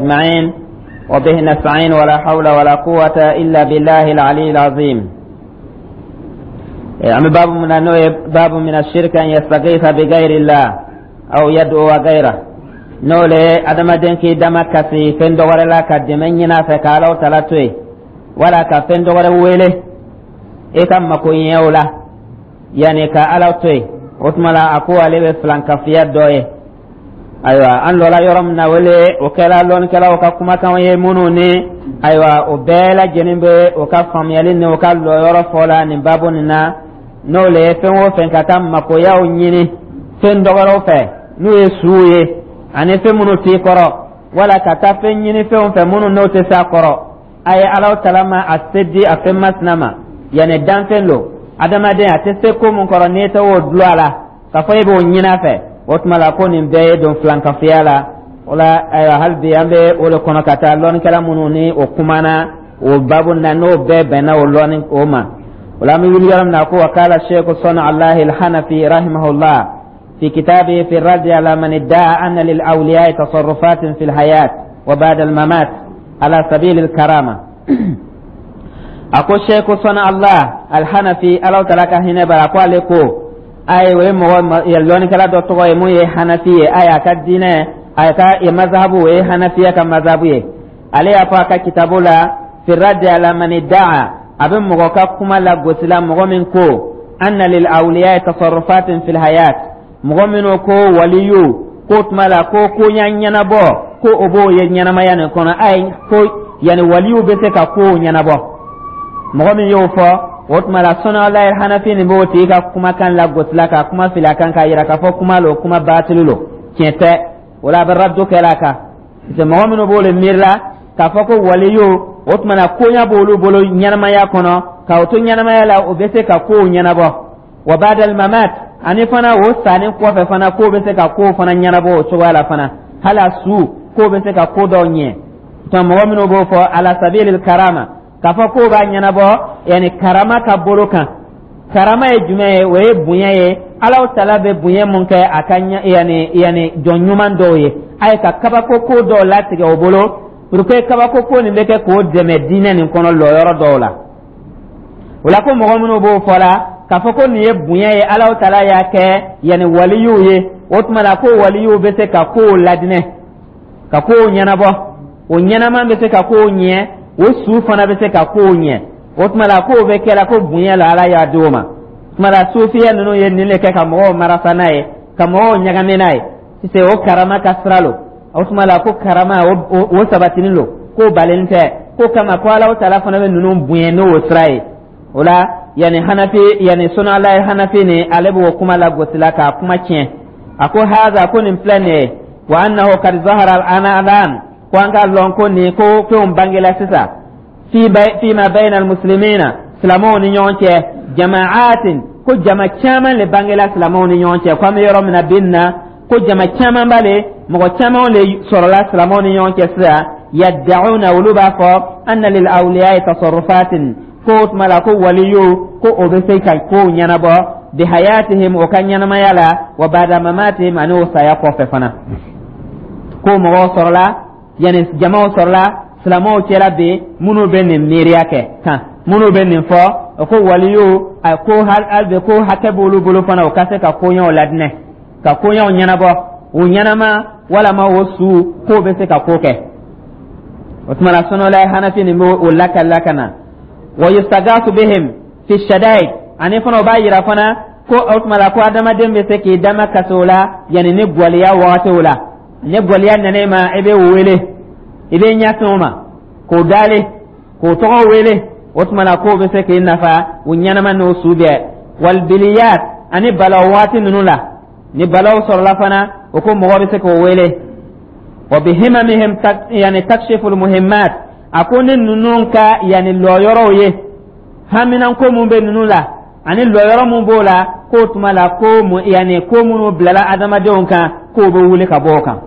أجمعين وبه نستعين ولا حول ولا قوة إلا بالله العلي العظيم. يعني باب من باب من الشرك أن يستغيث بغير الله أو يدعو غيره. N'o le ye adamaden k'i dama kasi fɛn dɔ wɛrɛ la ka dɛmɛ ɲini a fɛ ka Alaw tala to yen, wala ka fɛn dɔ wɛrɛ wele e ka makoɲɛw la, yanni ka Ala to yen. O tuma la, a ko ale bɛ filankafiya dɔ ye. Ayiwa, an lɔla yɔrɔ min na, wele o kɛra lɔnnikɛlaw ka kumakanw ye minnu ni, ayiwa, o bɛɛ lajɛlen bɛ o ka faamuyali ni o ka lɔyɔrɔ fɔ la nin baabu nin na. N'o le ye fɛn o fɛn ka taa makoyaw ɲini fɛn dɔ wɛrɛw fɛ, n'o ye suw ye ani fɛn minnu t'i kɔrɔ, wala ka taa fɛn ɲini fɛnw fɛ minnu n'o tɛ s'a kɔrɔ. A ye Alaw tala ma a se di a fɛn masina ma, yanni danfɛn lo, adamaden a tɛ se ko mun kɔrɔ, n'i tɛ o dulon a la k'a fɔ e b'o ɲini a fɛ, o tuma la ko nin bɛɛ ye don filankafoya la. O la, ayiwa, hali bi an bɛ o de kɔnɔ ka taa lɔnnikɛla minnu ni o kumana o babu na, n'o bɛɛ bɛnna o lɔnni o ma. O la, an bɛ wuli yɔrɔ min na, ko wa kala Sheikh Sɔnni Alahi Alhanafi rahimahullah في كتابه في الرد على من ادعى أن للأولياء تصرفات في الحياة وبعد الممات على سبيل الكرامة. A ko Sheikh Sɔnni Allah Alhanafi, Ala tala ka hinɛ bara, ko ale ko, ayi, o ye mɔgɔ lɔnnikɛla dɔ tɔgɔ ye mun ye Hanafi ye. Ayi, a ka diinɛ, a ka mazhabu, o ye Hanafiya ka mazhabu ye. Ale y'a fɔ a ka kitabu la, fi raddi ala man idda'a, a bɛ mɔgɔ ka kuma la gosila, mɔgɔ min ko anna lil awliya tasarrufatin fil hayat, mɔgɔ minnu ko waliyu ko tuma la ko koɲa ɲɛnabɔ, ko o b'o ye ɲɛnamaya nin kɔnɔ. Ayi, ko yanni waliyu bɛ se ka kow ɲɛnabɔ, mɔgɔ min y'o fɔ, o tuma la Sɔnni Hanafi nin b'o tigi ka kumakan lagosila, ka kuma fili a kan, k'a yira k'a fɔ kuma lo, kuma baatili lo, tiɲɛ tɛ. O la, a bɛ raddo kɛla a kan, parce que mɔgɔ minnu b'o le miirila k'a fɔ ko waliyu, o tuma na koɲa b'olu bolo ɲɛnamaya kɔnɔ, k'o to ɲɛnamaya la, o bɛ se ka kow ɲɛnabɔ, wa ba'dal mamat, ani fana o sanni kɔfɛ fana, k'o bɛ se ka kow fana ɲɛnabɔ o cogoya la fana, hali a su k'o bɛ se ka ko dɔw ɲɛ. Tuma mɔgɔ minnu b'o fɔ ala sabilil karama, k'a fɔ k'o b'a ɲɛnabɔ, yanni karama ka bolo kan. Karama ye jumɛn ye? O ye bonya ye, Alaw tala bɛ bonya mun kɛ a ka yanni jɔn ɲuman dɔw ye, a ye ka kabako ko dɔw latigɛ o bolo pour que kabako ko nin bɛ kɛ k'o dɛmɛ diinɛ nin kɔnɔ lɔyɔrɔ dɔw la. O la, ko mɔgɔ minnu b'o fɔ la k'a fɔ ko nin ye bonya ye Alaw tala y'a kɛ yanni waliyuw ye, o tuma la ko waliyuw bɛ se ka kow ladinɛ, ka kow ɲɛnabɔ, o ɲɛnama bɛ se ka kow ɲɛ, o su fana bɛ se ka kow ɲɛ, o tuma la k'o bɛ kɛla ko bonya la Ala y'a di o ma. Tuma la sufiya ninnu ye nin de kɛ ka mɔgɔw marasa n'a ye, ka mɔgɔw ɲagami n'a ye sisan, o karama ka sira lo. O tuma la ko karama o sabatinin lo, k'o balen tɛ, ko kama ko Alaw tala fana bɛ ninnu bonya n'o sira ye. O la, yanni Hanafi, yanni Sɔnni Hanafi ni ale b'o kuma la gosila k'a kuma tiɲɛ. A ko haza, ko nin filɛ nin ye, wa annahu kad zahara ana alan, ko an k'a lɔn ko nin ko fɛnw bangela sisan fima bayna almuslimina, silamɛw ni ɲɔgɔn cɛ, jama'atin, ko jama caman le bangela silamɛw ni ɲɔgɔn cɛ, ko an bɛ yɔrɔ min na bi na, ko jama caman b'ale, mɔgɔ caman le sɔrɔla silamɛw ni ɲɔgɔn cɛ sisan, yadda'una, olu b'a fɔ anna lil awliya'i tasarrufatin, ko o tuma la ko waliyu ko o bɛ se ka kow ɲɛnabɔ, bihayatihim, o ka ɲɛnamaya la, wa ba'da mamatihim, ani o saya kɔfɛ fana, ko mɔgɔw sɔrɔla, yanni jamaw sɔrɔla silamɛw cɛla bi minnu bɛ nin miiriya kɛ kan, minnu bɛ nin fɔ, o ko waliyu a ko hali bi ko hakɛ b'olu bolo fana, o ka se ka koɲɛw ladinɛ, ka koɲɛw ɲɛnabɔ, o ɲɛnama walama o su, k'o bɛ se ka ko kɛ. O tuma na Sɔnɔla Hanafi nin b'o lakali ka na, wa yustagasu bihim fi shadaid, ani fana o b'a yira fana ko o tuma la ko adamaden bɛ se k'i dama kasi o la, yanni ni gwaliya wagatiw la, ni gwaliya nana i ma, i bɛ wele, i bɛ ɲɛsin o ma k'o dale, k'o tɔgɔ wele, o tuma la k'o bɛ se k'i nafa, o ɲɛnama n'o su bɛɛ, walbiliyat, ani balaw waati ninnu la, ni balaw sɔrɔla fana, o ko mɔgɔ bɛ se k'o wele, wa bihimamihim yani takshiful muhimmat, a ko ni ninnu ka yani lɔyɔrɔw ye, haminanko mun bɛ ninnu la ani lɔyɔrɔ mun b'o la, k'o tuma la ko yani ko minnu bilala adamadenw kan, k'o bɛ wuli ka bɔ o kan.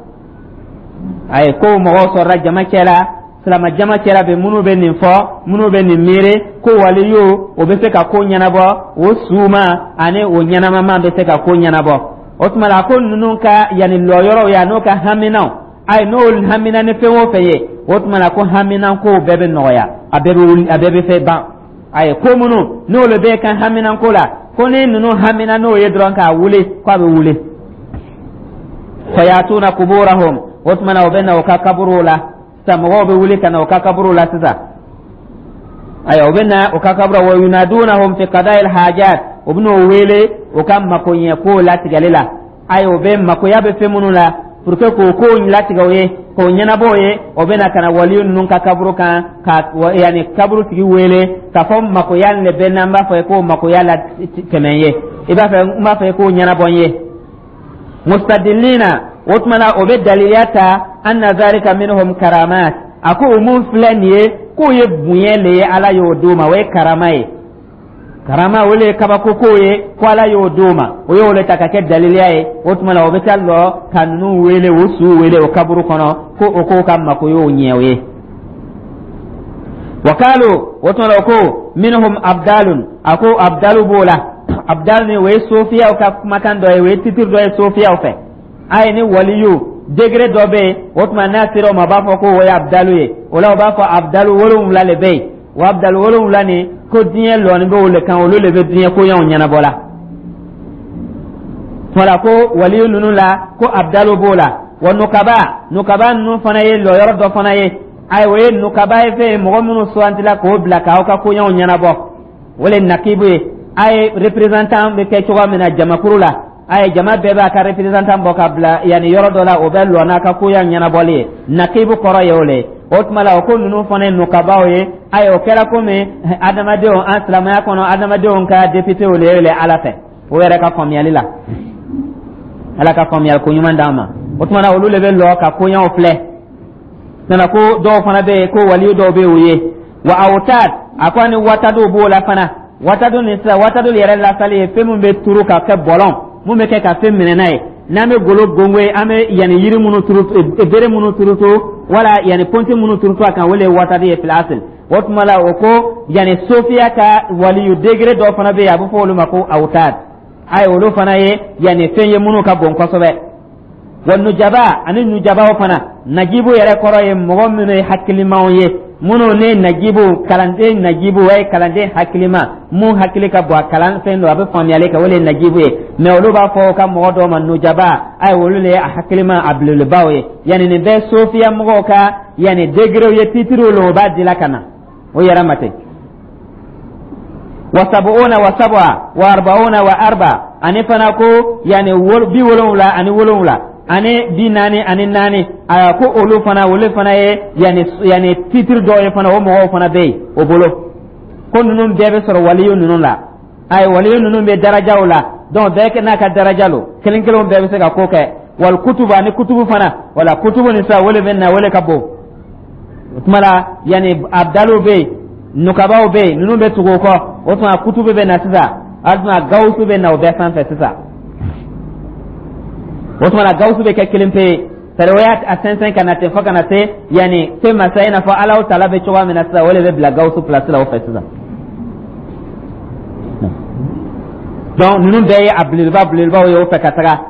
Ayi, ko mɔgɔw sɔrɔla jama cɛ la, silama jama cɛla bɛ minnu bɛ nin fɔ, minnu bɛ nin miiri ko waliyu o bɛ se ka ko ɲɛnabɔ, o suma ani o ɲɛnamama bɛ se ka ko ɲɛnabɔ. O tuma la ko ninnu ka yanni lɔyɔrɔw ye, n'o ka haminaw Ayi, n'o hamina ni fɛn o fɛn ye, o tuma na ko haminankow bɛɛ bɛ nɔgɔya, a bɛɛ bɛ wuli, a bɛɛ bɛ fɛn ban. Ayi, ko minnu n'olu bɛ kan haminanko la, ko ni ninnu hamina n'o ye dɔrɔn k'a wuli, k'a bɛ wuli. Fayatuna kuburahum, o tuma na o bɛ na o ka kaburuw la sisan. Mɔgɔw bɛ wuli ka na o ka kaburuw la sisan. Ayiwa, o bɛ na o ka kaburu, wa yunadunahum fi qada'il hajat, o bɛ n'o wele o ka makoɲɛ kow latigɛli la. Ayiwa, o bɛ makoya bɛ fɛn minnu la pour que k'o kow latigɛ o ye, k'o ɲɛnabɔ o ye, o bɛ na ka na waliyu ninnu ka kaburu kan ka yanni kaburu tigi wele k'a fɔ makoya nin de bɛ n'an b'a fɔ k'o makoya la tɛmɛ ye, i b'a fɛ n b'a fɛ k'o ɲɛnabɔ n ye. Mustadillina, o tuma na o bɛ daliliya ta, anna zalika minhum karamat, a ko o mun filɛ nin ye, k'o ye bonya le ye, Ala y'o d'o ma, o ye karama ye. Karama, o le ye kabako kow ye, ko Ala y'o d'o ma, o y'o le ta ka kɛ daliliya ye. O tuma na o bɛ taa lɔ ka ninnu wele, o suw wele o kaburu kɔnɔ, ko o k'o ka mako y'o ɲɛ o ye. Wakalu, o tuma na o ko minhum abdalun, a ko abdalu b'o la. Abdal ni, o ye sofiyaw ka kumakan dɔ ye, o ye titre dɔ ye sofiyaw fɛ. A ye ni waliyu degré dɔ bɛ yen, o tuma n'a sera o ma, o b'a fɔ ko o ye abdalu ye. O la, o b'a fɔ abdalu 7 le bɛ yen. O abdalu 7 nin, ko diɲɛ lɔni bɛ o le kan, olu le bɛ diɲɛ koɲɛw ɲɛnabɔ la. Tuma ko waliyu ninnu la, ko abdalu b'o la. Wa nukaba, nukaba ninnu fana ye lɔyɔrɔ dɔ fana ye. Ayiwa, o ye nukaba ye, fɛn ye mɔgɔ minnu sugandila k'o bila k'aw ka koɲɛw ɲɛnabɔ, o le nakibu ye. A ye représentant bɛ kɛ cogoya min na jamakuru la, a ye jama bɛɛ b'a ka représentant bɔ ka bila yanni yɔrɔ dɔ la, o bɛ lɔ n'a ka koɲɛ ɲɛnabɔli ye. Nakibu kɔrɔ ye o le ye. O tuma la, o ko ninnu fana ye nukabaw ye. Ayiwa, o kɛra komi adamadenw, an silamɛya kɔnɔ, adamadenw ka députéw le ye le Ala fɛ, o yɛrɛ ka faamuyali la. Ala ka faamuyali ko ɲuman d'an ma. O tuma na, olu le bɛ lɔ ka koɲɛw filɛ. Nana ko dɔw fana bɛ yen, ko waliyu dɔw bɛ yen o ye. Wa awtad, a ko ani watadu b'o la fana. Watadu ni sisan, watadu yɛrɛ lasali ye fɛn min bɛ turu ka kɛ bɔlɔn mun bɛ kɛ ka fɛn minɛ n'a ye. N'an bɛ golo gongo ye, an bɛ yanni yiri minnu turu, bere minnu turutu, wala yanni pɔnti minnu turutu a kan, o le ye watadu ye fil asl. O tuma la, o ko yanni sofiya ka waliyu degré dɔ fana bɛ yen, a bɛ fɔ olu ma ko awtad. Ayi, olu fana ye yanni fɛn ye minnu ka bon kosɛbɛ. Wa nujaba, ani nujabaw fana. Najibu yɛrɛ kɔrɔ ye mɔgɔ minnu ye hakilimaw ye, minnu ne najibu, kalanden najibu, o ye kalanden hakilima mun hakili ka bon, a kalan fɛn don, a bɛ faamuyali kɛ, o le ye najibu ye. Mɛ olu b'a fɔ ka mɔgɔ dɔw ma nujaba. Ayi, olu le ye a hakilima, a belebelebaw ye. Yanni nin bɛɛ sofiya mɔgɔw ka yanni degerew ye, titiriw lo, o b'a dila ka na o yɛrɛ ma ten. Wa sabuuna wa sab'a wa arba'una wa arba, ani fana ko yani 77 ani 44, a ko olu fana, olu fana ye yani titre dɔw ye fana, o mɔgɔw fana bɛ yen o bolo. Ko ninnu bɛɛ bɛ sɔrɔ waliyu ninnu la. Ayi, waliyu ninnu bɛ darajaw la, donc bɛɛ n'a ka daraja lo, kelen kelenw bɛɛ bɛ se ka ko kɛ. Wal kutubu, ani kutubu fana. Wala kutubu ni sisan, o le bɛ na, o le ka bon. O tuma la, yanni abdalu bɛ yen, nukabaw bɛ yen, ninnu bɛ tugu o kɔ. O tuma kutubu bɛ na sisan, a tuma gawusu bɛ na o bɛɛ sanfɛ sisan. O tuma la, gawusu bɛ kɛ kelen pe ye, c'est o y'a sɛnsɛn ka na ten fo ka na se yanni fɛn masa i n'a fɔ Alahu taala bɛ cogoya min na sisan, o de bɛ bila gawusu place la o fɛ sisan. Donc ninnu bɛɛ ye a belebeleba belebelebaw ye o fɛ ka taga.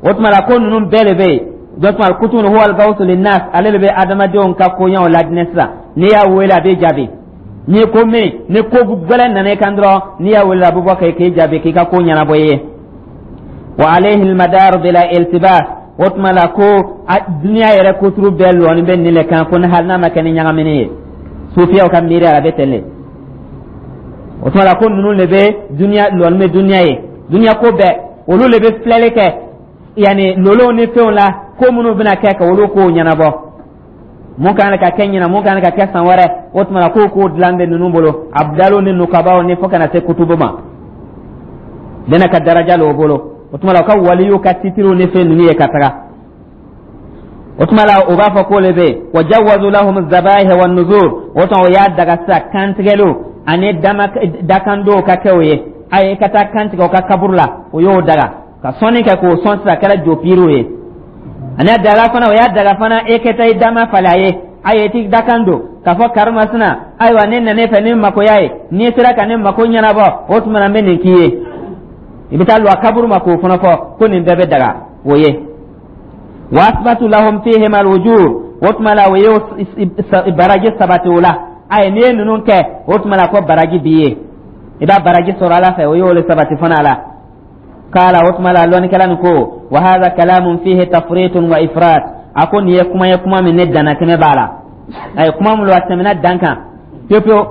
O tuma la, ko ninnu bɛɛ de bɛ yen. Donc tuma kutubu huwa al-gawsu linnas, ale de bɛ adamadenw ka koɲɛw ladinɛ sisan. N'i y'a wele, a bɛ jaabi. N'i ko min ni ko gɛlɛn nana i kan dɔrɔn, n'i y'a wele, a bɛ bɔ k'i jaabi, k'i ka ko ɲɛnabɔ i ye. Wa alayhi al-madar bila iltibas, o tuma la ko duniya yɛrɛ kuturu bɛɛ lɔni bɛ nin le kan, ko ni hali n'a ma kɛ ni ɲagamini ye, sufiyaw ka miiri a bɛ ten de. O tuma la, ko ninnu de bɛ duniya lɔni bɛ duniya ye, duniya ko bɛɛ olu de bɛ filɛli kɛ, yanni lolow ni fɛnw la, ko minnu bɛna kɛ ka olu kow ɲɛnabɔ, mun kan ka kɛ ɲinan, mun kan ka kɛ san wɛrɛ. O tuma na k'o kow dilan bɛ ninnu bolo, abdalu ni nukabaw ni fo ka na se kutubu ma, bɛna ka daraja l'o bolo. O tuma la, u ka waliyu ka titiriw ni fɛn ninnu ye ka taga. O tuma la, o b'a fɔ k'o le bɛ yen. Wa jawazu lahum zabaih wa nuzur, o tuma o y'a daga sisan kantigɛliw ani dama dakandow ka kɛ o ye. A ye ka taa kantigɛ o ka kaburu la, o y'o daga ka sɔnni kɛ k'o sɔn sisan, kɛra jopiriw ye. Ani a daga fana, o y'a daga fana e kɛ taa i dama falen a ye, a ye t'i dakan don k'a fɔ karimasina, ayiwa, ne nana e fɛ ni makoya ye, n'i sera ka ne mako ɲɛnabɔ, o tuma na n bɛ nin k'i ye. I bɛ taa lɔ a kaburu ma k'o fana fɔ ko nin bɛɛ bɛ daga o ye. Wa asbatu lahum fihim alwujur, o tuma la o ye baraji sabati o la. Ayi, n'i ye ninnu kɛ, o tuma la ko baraji b'i ye, i b'a baraji sɔrɔ Ala fɛ. O y'o le sabati fana a la. Kala, o tuma la lɔnnikɛla nin ko: wa hadha kalamun fihi tafritun wa ifrat. A ko nin ye kuma ye, kuma min ne dannatɛmɛ b'a la. A ye kuma min lo, a tɛmɛna dan kan pewu pewu,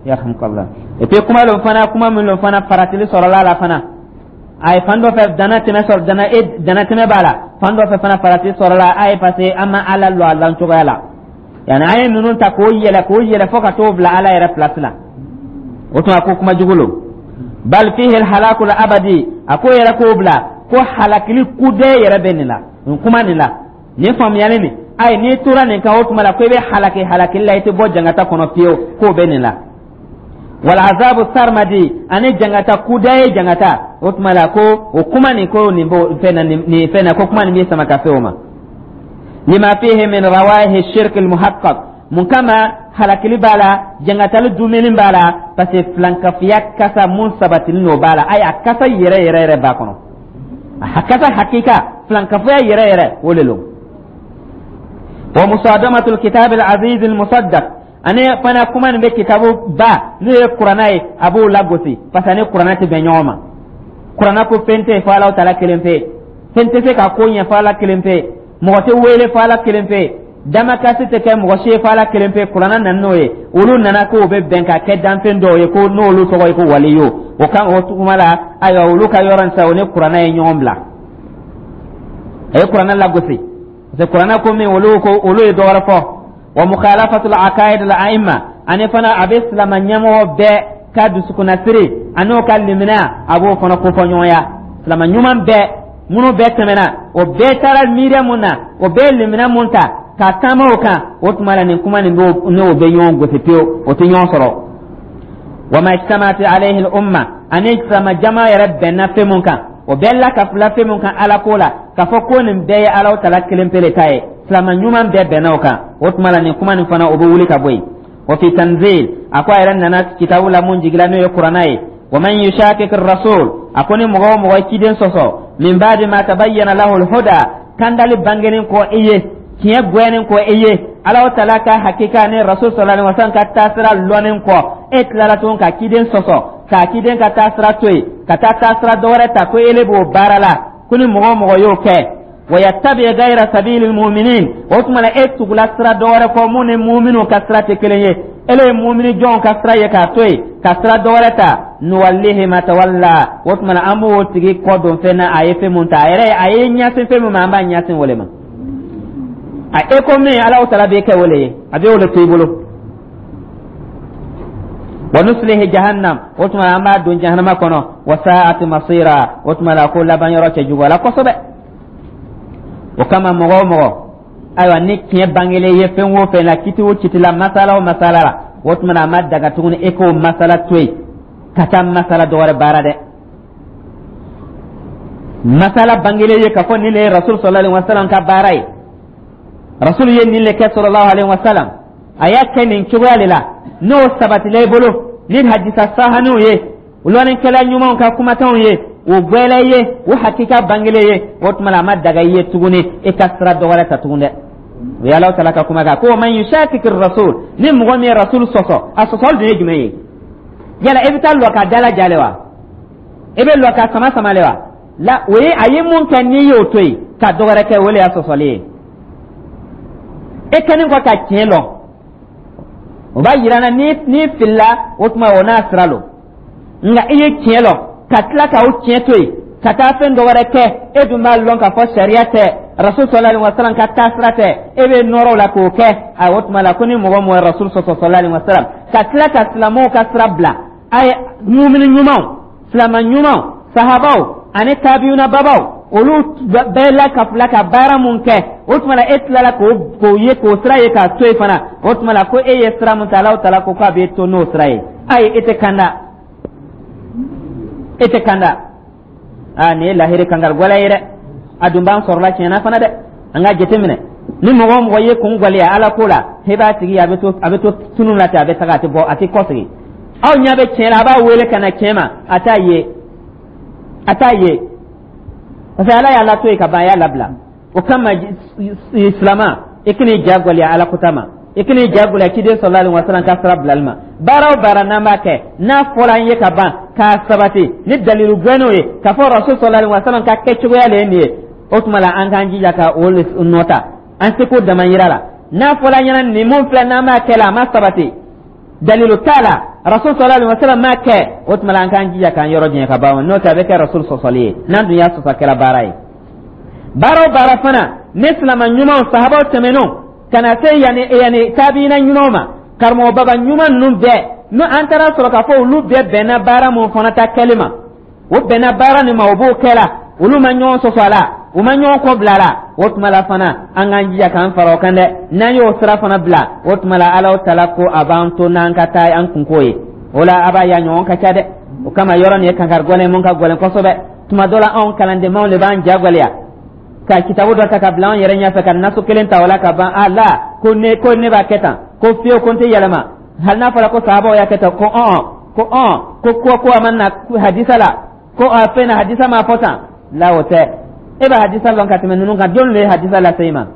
yarhamukallah. Et puis kuma lo fana, kuma min lo fana, faratili sɔrɔla a la fana. A ye fan dɔ fɛ dana tɛmɛ sɔrɔ, dana e dana tɛmɛ b'a la, fan dɔ fɛ fana farati sɔrɔla a ye, parce que an ma Ala lɔ a lan cogoya la. Yani an ye ninnu ta k'o yɛlɛ, k'o yɛlɛ fo ka t'o bila Ala yɛrɛ place la. O tuma ko kuma jugu lo. Bal fihi alhalaku abadi, a ko yɛrɛ k'o bila ko halakili kudɛ yɛrɛ bɛ nin la, nin kuma nin la, nin faamuyali nin. Ayi, n'i tora nin kan, o tuma la ko i bɛ halaki halakili la, i tɛ bɔ jangata kɔnɔ fiyewu, k'o bɛ nin la. Wal azabu sarmadi, ani jangata kuda ye jangata. O tuma la ko o kuma nin, ko nin b'o fɛn na, nin fɛn na, ko kuma nin b'i sama ka se o ma. Lima fihi min rawahi shirk al muhaqqaq, mun kama halakili b'a la, jangatali dumuni b'a la? Parce que filankafiya kasa mun sabatinin n'o b'a la. Ayi, a kasa yɛrɛ yɛrɛ yɛrɛ b'a kɔnɔ, a kasa hakika filankafoya yɛrɛ yɛrɛ, o le lo. Wa musadamatul kitab al aziz al musaddaq, ani fana kuma nin bɛ kitabu ba n'o ye Kuranna ye, a b'o lagosi, parce que ani Kuranna tɛ bɛn ɲɔgɔn ma. Kuranna ko fɛn tɛ yen fo Alahu Taala kelen pe, fɛn tɛ se ka ko ɲɛ fo Ala kelen pe, mɔgɔ tɛ wele fo Ala kelen pe, damakasi tɛ kɛ mɔgɔ si ye fo Ala kelen pe. Kuranna nana n'o ye. Olu nana k'o bɛ bɛn ka kɛ danfɛn dɔw ye, ko n'olu tɔgɔ ye ko waliyo. O kan, o tuma la, ayiwa, olu ka yɔrɔ in sa, o ni Kuranna ye ɲɔgɔn bila, a ye Kuranna lagosi, parce que Kuranna ko min, olu ko olu ye dɔ wɛrɛ fɔ. Wa mukhalafatul aqaid al a'imma, ani fana a bɛ silama ɲɛmɔgɔ bɛɛ ka dusukunnasiri ani ka limaniya, a b'o fana kofɔ ɲɔgɔnya. Silama ɲuman bɛɛ minnu bɛɛ tɛmɛna, o bɛɛ taara miiriya mun na, o bɛɛ ye limaniya mun ta ka taama o kan, o tuma la nin kuma nin b'o n'o bɛ ɲɔgɔn gosi pewu, o tɛ ɲɔgɔn sɔrɔ. Wa ma ijtama'at alayhi al umma, ani silama jama yɛrɛ bɛnna fɛn mun kan, o bɛɛ la ka fila fɛn mun kan Ala ko la, k'a fɔ ko nin bɛɛ ye Alahu Taala kelen pe le ta ye, silama ɲuman bɛɛ bɛnna o kan, o tuma la nin kuma nin fana, o bɛ wuli ka bɔ yen. Wa fi tanzil, a ko a yɛrɛ nana kitabu la mun jigila, n'o ye Kuranna ye: wa man yushakik rasul, a ko ni mɔgɔ o mɔgɔ ye ciden sɔsɔ, min ba'di ma tabayyana lahu al-huda, kandali bangenen kɔ i ye, tiɲɛ gwɛnnen kɔ i ye, Alahu Taala ka hakika ni Rasul sallallahu alaihi wasallam ka taasira lɔnnen kɔ, e tilala tuguni ka ciden sɔsɔ, k'a ciden ka taasira to yen ka taa taasira dɔ wɛrɛ ta, ko ele b'o baara la, ko ni mɔgɔ o mɔgɔ y'o kɛ, wa yattabi ghayra sabilil mu'minin, o tuma la e tugula sira dɔ wɛrɛ kɔ mun ni mu'minu ka sira tɛ kelen ye, ele ye mumini jɔnw ka sira ye k'a to yen ka sira dɔ wɛrɛ ta, nuwallihi ma tawalla, o tuma la an b'o tigi kɔ don fɛn na a ye fɛn mun ta, a yɛrɛ a ye ɲɛsin fɛn min ma, an b'a ɲɛsin o le ma. A e ko min Alahu Taala b'e kɛ o le ye, a bɛ o le to i bolo. Wa nuslihi jahannam, o tuma an b'a don jahannama kɔnɔ. Wa sa'at masira, o tuma la ko laban yɔrɔ cɛ jugu la kosɛbɛ. O kama mɔgɔ o mɔgɔ, ayiwa, ni tiɲɛ bangelen ye fɛn o fɛn la, kiti o kiti la, masala o masala la, o tuma na a ma daga tuguni e k'o masala to yen ka taa masala dɔ wɛrɛ baara dɛ. Masala bangelen ye k'a fɔ nin le ye Rasul sallallahu alaihi wasallam ka baara ye, Rasul ye nin le kɛ sallallahu alaihi wasallam, a y'a kɛ nin cogoya de la, n'o sabatila i bolo ni hadisa sahaniw ye, lɔnnikɛla ɲumanw ka kumakanw ye, o gwɛlɛ ye, o hakika bangelen ye, o tuma la a ma daga i ye tuguni e ka sira dɔ wɛrɛ ta tuguni dɛ. O ye Alahu Taala ka kuma kan ko man yushakiki rasul, ni mɔgɔ min ye Rasul sɔsɔ, a sɔsɔli dun ye jumɛn ye? Yala e bɛ taa lɔ ka dala jale wa? E bɛ lɔ ka sama sama le wa? La, o ye a ye mun kɛ, n'i y'o to yen ka dɔ wɛrɛ kɛ, o le y'a sɔsɔli ye. E kɛlen kɔ ka tiɲɛ lɔn, o b'a yira na ni filila, o tuma o n'a sira lo. Nka i ye tiɲɛ lɔn ka tila ka o tiɲɛ to yen ka taa fɛn dɔ wɛrɛ kɛ, e dun b'a lɔn k'a fɔ sariya tɛ, Rasul sallallahu alaihi wasallam ka taasira tɛ, e bɛ nɔrɔ o la k'o kɛ, a o tuma la ko ni mɔgɔ mɔgɔ ye Rasul sɔsɔ sallallahu alaihi wasallam ka tila ka silamɛw ka sira bila, a ye mumini ɲumanw, silama ɲumanw, sahabaw ani tabiyuna babaw, olu bɛɛ la ka fila ka baara mun kɛ, o tuma la e tilala k'o ye, k'o sira ye k'a to yen fana, o tuma la ko e ye sira mun ta, Alahu Taala ko k'a b'e to n'o sira ye. Ayi, e tɛ kanda, e tɛ kanda. Aa, nin ye lahiri kankari gwɛlɛ ye dɛ. A dun b'an sɔrɔla tiɲɛna fana dɛ. An ka jateminɛ, ni mɔgɔ o mɔgɔ ye kun gwɛlɛya Ala ko la, i b'a tigi a bɛ to tunu la ten, a bɛ taga, a tɛ bɔ, a tɛ kɔsegin. Aw ɲɛ bɛ tiɲɛ la, a b'a wele ka na tiɲɛ ma, a t'a ye, a t'a ye, parce que Ala y'a lato yen ka ban, a y'a labila. O kama, silama, i kan'i ja gwɛlɛya Ala kota ma, i kan'i ja gwɛlɛya ciden sallallahu alaihi wasallam ka sira bilali ma. Baara o baara n'an b'a kɛ, n'a fɔra an ye ka ban k'a sabati ni dalilu gbɛnnenw ye k'a fɔ Rasul sallallahu alaihi wasallam ka kɛcogoya le ye nin ye, o tuma la an k'an jija ka o nɔ ta an seko damayira la. N'a fɔra an ɲɛna nin mun filɛ, n'an b'a kɛ la, a ma sabati, dalilu t'a la, Rasul sallallahu alaihi wasallam m'a kɛ, o tuma la an k'an jija k'an yɔrɔ janya ka ban. N'o tɛ, a bɛ kɛ Rasul sɔsɔli ye. N'an dun y'a sɔsɔ, a kɛra baara ye. Baara o baara fana ni silama ɲumanw, sahabaw tɛmɛnenw ka na se yanni tabiina ɲumanw ma, karamɔgɔ baba ɲuman ninnu bɛɛ, n'o an taara sɔrɔ k'a fɔ olu bɛɛ bɛnna baara mun fana ta kɛli ma, o bɛnna baara nin ma, o b'o kɛ la, olu ma ɲɔgɔn sɔsɔ a la, u ma ɲɔgɔn kɔ bila a la, o tuma la fana an k'an jija k'an fara o kan dɛ. N'an y'o sira fana bila, o tuma la Ala tala ko a b'an to n'an ka taa an kunko ye. O la a b'a ye a ɲɔgɔn ka ca dɛ. O kama yɔrɔ nin ye kankari gɛlɛn mun ka gɛlɛn kosɛbɛ. Tuma dɔ la, anw kalandenmaw de b'an ja gɛlɛya ka kitabu dɔ ta ka bila anw yɛrɛ ɲɛfɛ, ka nasu kelen ta o la ka ban a la ko ne b'a kɛ tan, ko fiyewu, ko n tɛ yɛlɛma, hali n'a fɔra ko sahabaw y'a kɛ tan, ko ɔn ko ɔn ko ko ko a ma na hadisa la, ko a fɛn na hadisa ma fɔ tan la. O tɛ. E bɛ hadisa lɔn ka tɛmɛ ninnu kan? Jɔn le ye hadisa lase i ma?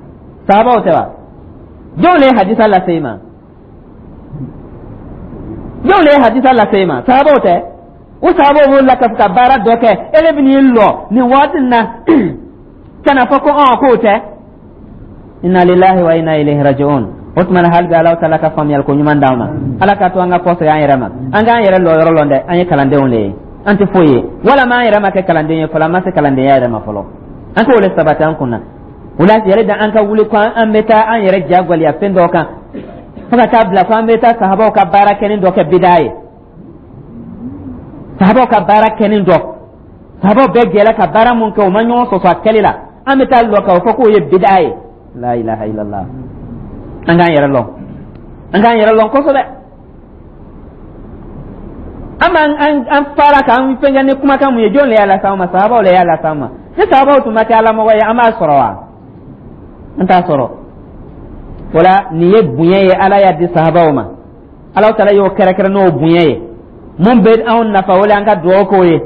Sahabaw tɛ wa? Jɔn le ye hadisa lase i ma? Jɔn le ye hadisa lase i ma? Sahabaw tɛ? O sahabaw b'o la ka baara dɔ kɛ, e de bɛ n'i lɔ nin waati in na ka na fɔ ko ɔn k'o tɛ. Inna lillahi wa inna ilayhi raji'un. O tuma na, hali bi Ala taala ka faamuyali ko ɲuman d'an ma. Ala ka to an ka kɔsegin an yɛrɛ ma, an k'an yɛrɛ lɔ yɔrɔ lɔn dɛ. An ye kalandenw de ye, an tɛ foyi ye. Walama an yɛrɛ ma kɛ kalanden ye fɔlɔ, an ma se kalandenya yɛrɛ ma fɔlɔ. An k'o le sabati an kunna. O la yɛrɛ da, an ka wuli ko an bɛ taa an yɛrɛ jagoya fɛn dɔ kan, fo ka taa bila ko an bɛ taa sahabaw ka baara kɛnin dɔ kɛ bidaa ye. Sahabaw ka baara kɛnin dɔ, sahabaw bɛɛ jɛla ka baara mun kɛ, u ma ɲɔgɔn sɔsɔ a kɛli la, an bɛ taa lɔ k'a fɔ k'o ye bidaa ye. La ilaha illallah. An k'an yɛrɛ lɔn, an k'an yɛrɛ lɔn kosɛbɛ. An b'an an fara k'an fɛnkɛ ni kumakan mun ye, jɔn le y'a las'an ma? Sahabaw le y'a las'an ma. Ni sahabaw tun ma kɛ alamɔgɔ ye, an b'a sɔrɔ wa? An t'a sɔrɔ. O la nin ye bonya ye Ala y'a di sahabaw ma. Ala taala y'o kɛrɛkɛrɛ n'o bonya ye. Mun bɛ anw nafa, o le an ka dugawu k'o ye.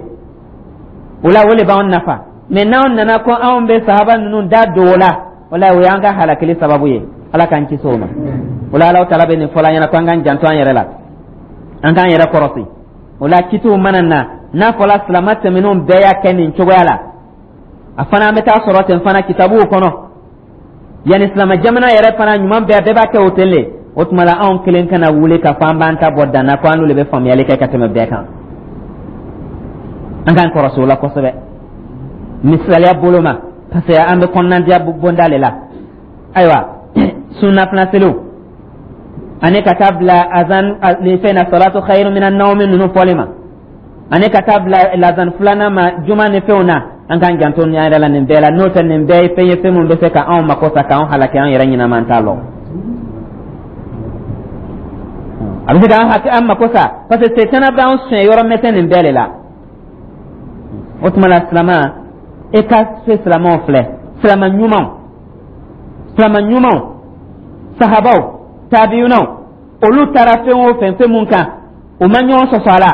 O la o le b'anw nafa. Mɛ n'anw nana ko anw bɛ sahaba ninnu da don o la, o la o y'an ka halakili sababu ye. Ala k'an kisi o ma. O la Ala taala bɛ nin fɔla an ɲɛna ko an k'an janto an yɛrɛ la, an k'an yɛrɛ kɔrɔsi. O la kitiw mana na, n'a fɔla silama tɛmɛnenw bɛɛ y'a kɛ nin cogoya la, a fana an bɛ taa sɔrɔ ten fana kitabuw kɔnɔ, yanni silama jamana yɛrɛ fana ɲuman bɛɛ, bɛɛ b'a kɛ o ten le. O tuma la anw kelen kana wuli ka fɔ an b'an ta bɔ dan na, ko an n'olu bɛ faamuyali kɛ ka tɛmɛ bɛɛ kan. An k'an kɔrɔsi o la kosɛbɛ. Misaliya bolo ma, parce que an bɛ kɔnɔnadiya bonda le la. Ayiwa, sunnafana seliw ani ka taa bila azan ni fɛn na, salatu khairu minan nawmi ninnu fɔli ma, ani ka taa bila lazan filanan ma juma ni fɛnw na, an k'an janto an yɛrɛ la nin bɛɛ la. N'o tɛ, nin bɛɛ ye fɛn ye, fɛn min bɛ se ka anw mako sa, k'anw halaki, an yɛrɛ ɲɛnama t'a lɔn. A bɛ se k'an hakɛ an mako sa, parce que setana b'an suɲɛ yɔrɔ mɛsɛn nin bɛɛ de la. O tuma la silama, e ka se silamaw filɛ, silama ɲumanw, silama ɲumanw, sahabaw, tabiyunaw, olu taara fɛn o fɛn, fɛn mun kan u ma ɲɔgɔn sɔsɔ a la,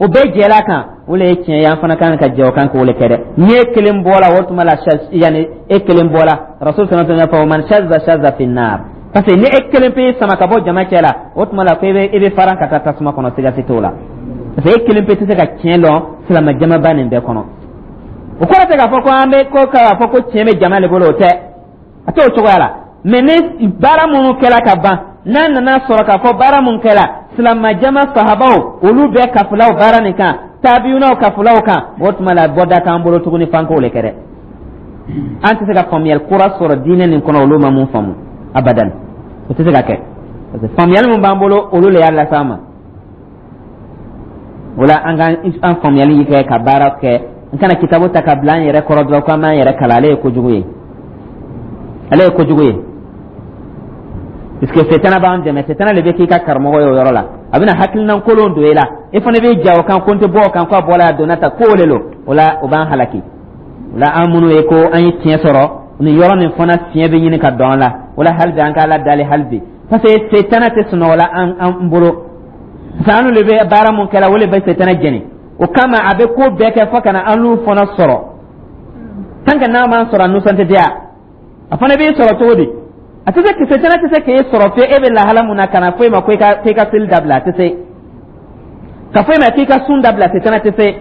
o bɛɛ jɛla kan, o le ye tiɲɛ ye. An fana kan ka jɛ o kan k'o le kɛ dɛ. Ni e kelen bɔla, o tuma la yanni e kelen bɔla, Rasul sallallahu alaihi wasallam man shazza shazza fi nar, parce que ni e kelen pe sama ka bɔ jama cɛ la, o tuma la ko e bɛ faran ka taa tasuma kɔnɔ, siga si t'o la, parce que e kelen pe tɛ se ka tiɲɛ lɔn silama jamaba nin bɛɛ kɔnɔ. O kɔrɔ tɛ k'a fɔ ko an bɛ ko k'a fɔ ko tiɲɛ bɛ jama de bolo, o tɛ, a t'o cogoya la. Mɛ ni baara minnu kɛra ka ban, n'a nana sɔrɔ k'a fɔ baara mun kɛra, silamɛjama sahabaw olu bɛɛ kafulaw baara nin kan, tabiyunaw kafulaw kan, o tuma la bɔda t'an bolo tuguni f'an k'o le kɛ dɛ. An tɛ se ka faamuyali kura sɔrɔ diinɛ nin kɔnɔ olu ma mun faamu, abadan, o tɛ se ka kɛ, parce que faamuyali mun b'an bolo, olu le y'a las'an ma. O la an ka an faamuyali kɛ ka baara kɛ. N kana kitabu ta ka bila an yɛrɛ kɔrɔ dɔrɔn ko an b'an yɛrɛ kalan. Ale ye kojugu ye, ale ye kojugu ye, puisque setana b'an dɛmɛ. Setana de bɛ k'i ka karamɔgɔ ye o yɔrɔ la. A bɛna hakilina kolon don e la, e fana bɛ ja o kan ko n tɛ bɔ o kan, ko a bɔla a donna ta, k'o de lo. O la o b'an halaki. O la an minnu ye ko an ye tiɲɛ sɔrɔ nin yɔrɔ nin fana, fiɲɛ bɛ ɲini ka don an la. O la hali bi an ka Ala dali hali bi, parce que setana tɛ sunɔgɔ la an bolo. Parce que an de bɛ baara mun kɛla, o de bɛ setana jɛni. O kama a bɛ ko bɛɛ kɛ fo ka na an n'u fana sɔrɔ. Tant que n'a m'an sɔrɔ, a nisɔn tɛ diya. A fana b'i sɔrɔ cogo di? A tɛ se, setana tɛ se k'e sɔrɔ fiye e bɛ lahala mun na ka na fɔ e ma ko i ka seli dabila. A tɛ se ka fɔ e ma k'i ka sun dabila. Setana tɛ se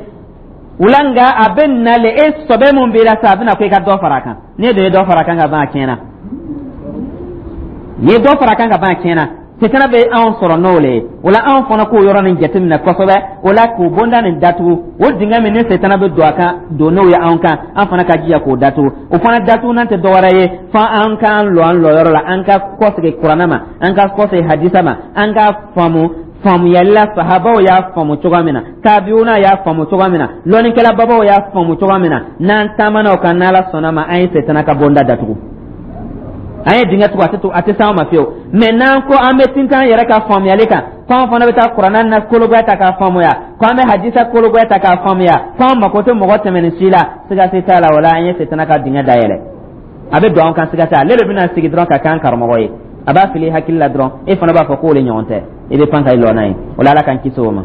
o la. Nka a bɛ na le, e sɔbɛ mun b'i la sa, a bɛna ko i ka dɔ fara a kan. N'e dun ye dɔ fara a kan ka ban, a tiɲɛna. N'i ye dɔ fara a kan ka ban, a tiɲɛna. Setana bɛ anw sɔrɔ n'o le ye. O la, anw fana k'o yɔrɔ nin jateminɛ kosɛbɛ. O la, k'o bonda nin datugu, o dingɛ min ni setana bɛ don a kan, don n'o ye anw kan, an fana ka jija k'o datugu. O fana datugunan tɛ dɔwɛrɛ ye fo an k'an lɔ an lɔyɔrɔ la, an ka kɔsegin Kuranɛ ma, an ka kɔsegin hadisa ma, an ka faamu faamuyali la sahabaw y'a faamu cogoya min na, tabiuna y'a faamu cogoya min na, lɔnnikɛlababaw y'a faamu cogoya min na. N'an taamana o kan, n'Ala sɔnna ma, an ye setana ka bonda datugu, an ye dingɛ tugu, a tɛ a tɛ s'an ma fiyewu. Mɛ n'an ko an bɛ tintin an yɛrɛ ka faamuyali kan, ko an fana bɛ taa Kuranɛ na kologoya ta k'a faamuya, ko an bɛ hadisa kologoya ta k'a faamuya, ko an mako tɛ mɔgɔ tɛmɛnin si la, siga si t'a la, o la an ye setana ka dingɛ dayɛlɛ, a bɛ don an kan. Siga t'a ale de bɛna sigi dɔrɔn ka k'an karamɔgɔ ye. A b'a fili hakili la dɔrɔn, e fana b'a fɔ k'o de ɲɔgɔn tɛ, i bɛ pan ka i lɔ n'a ye. O la, Ala k'an kisi o ma.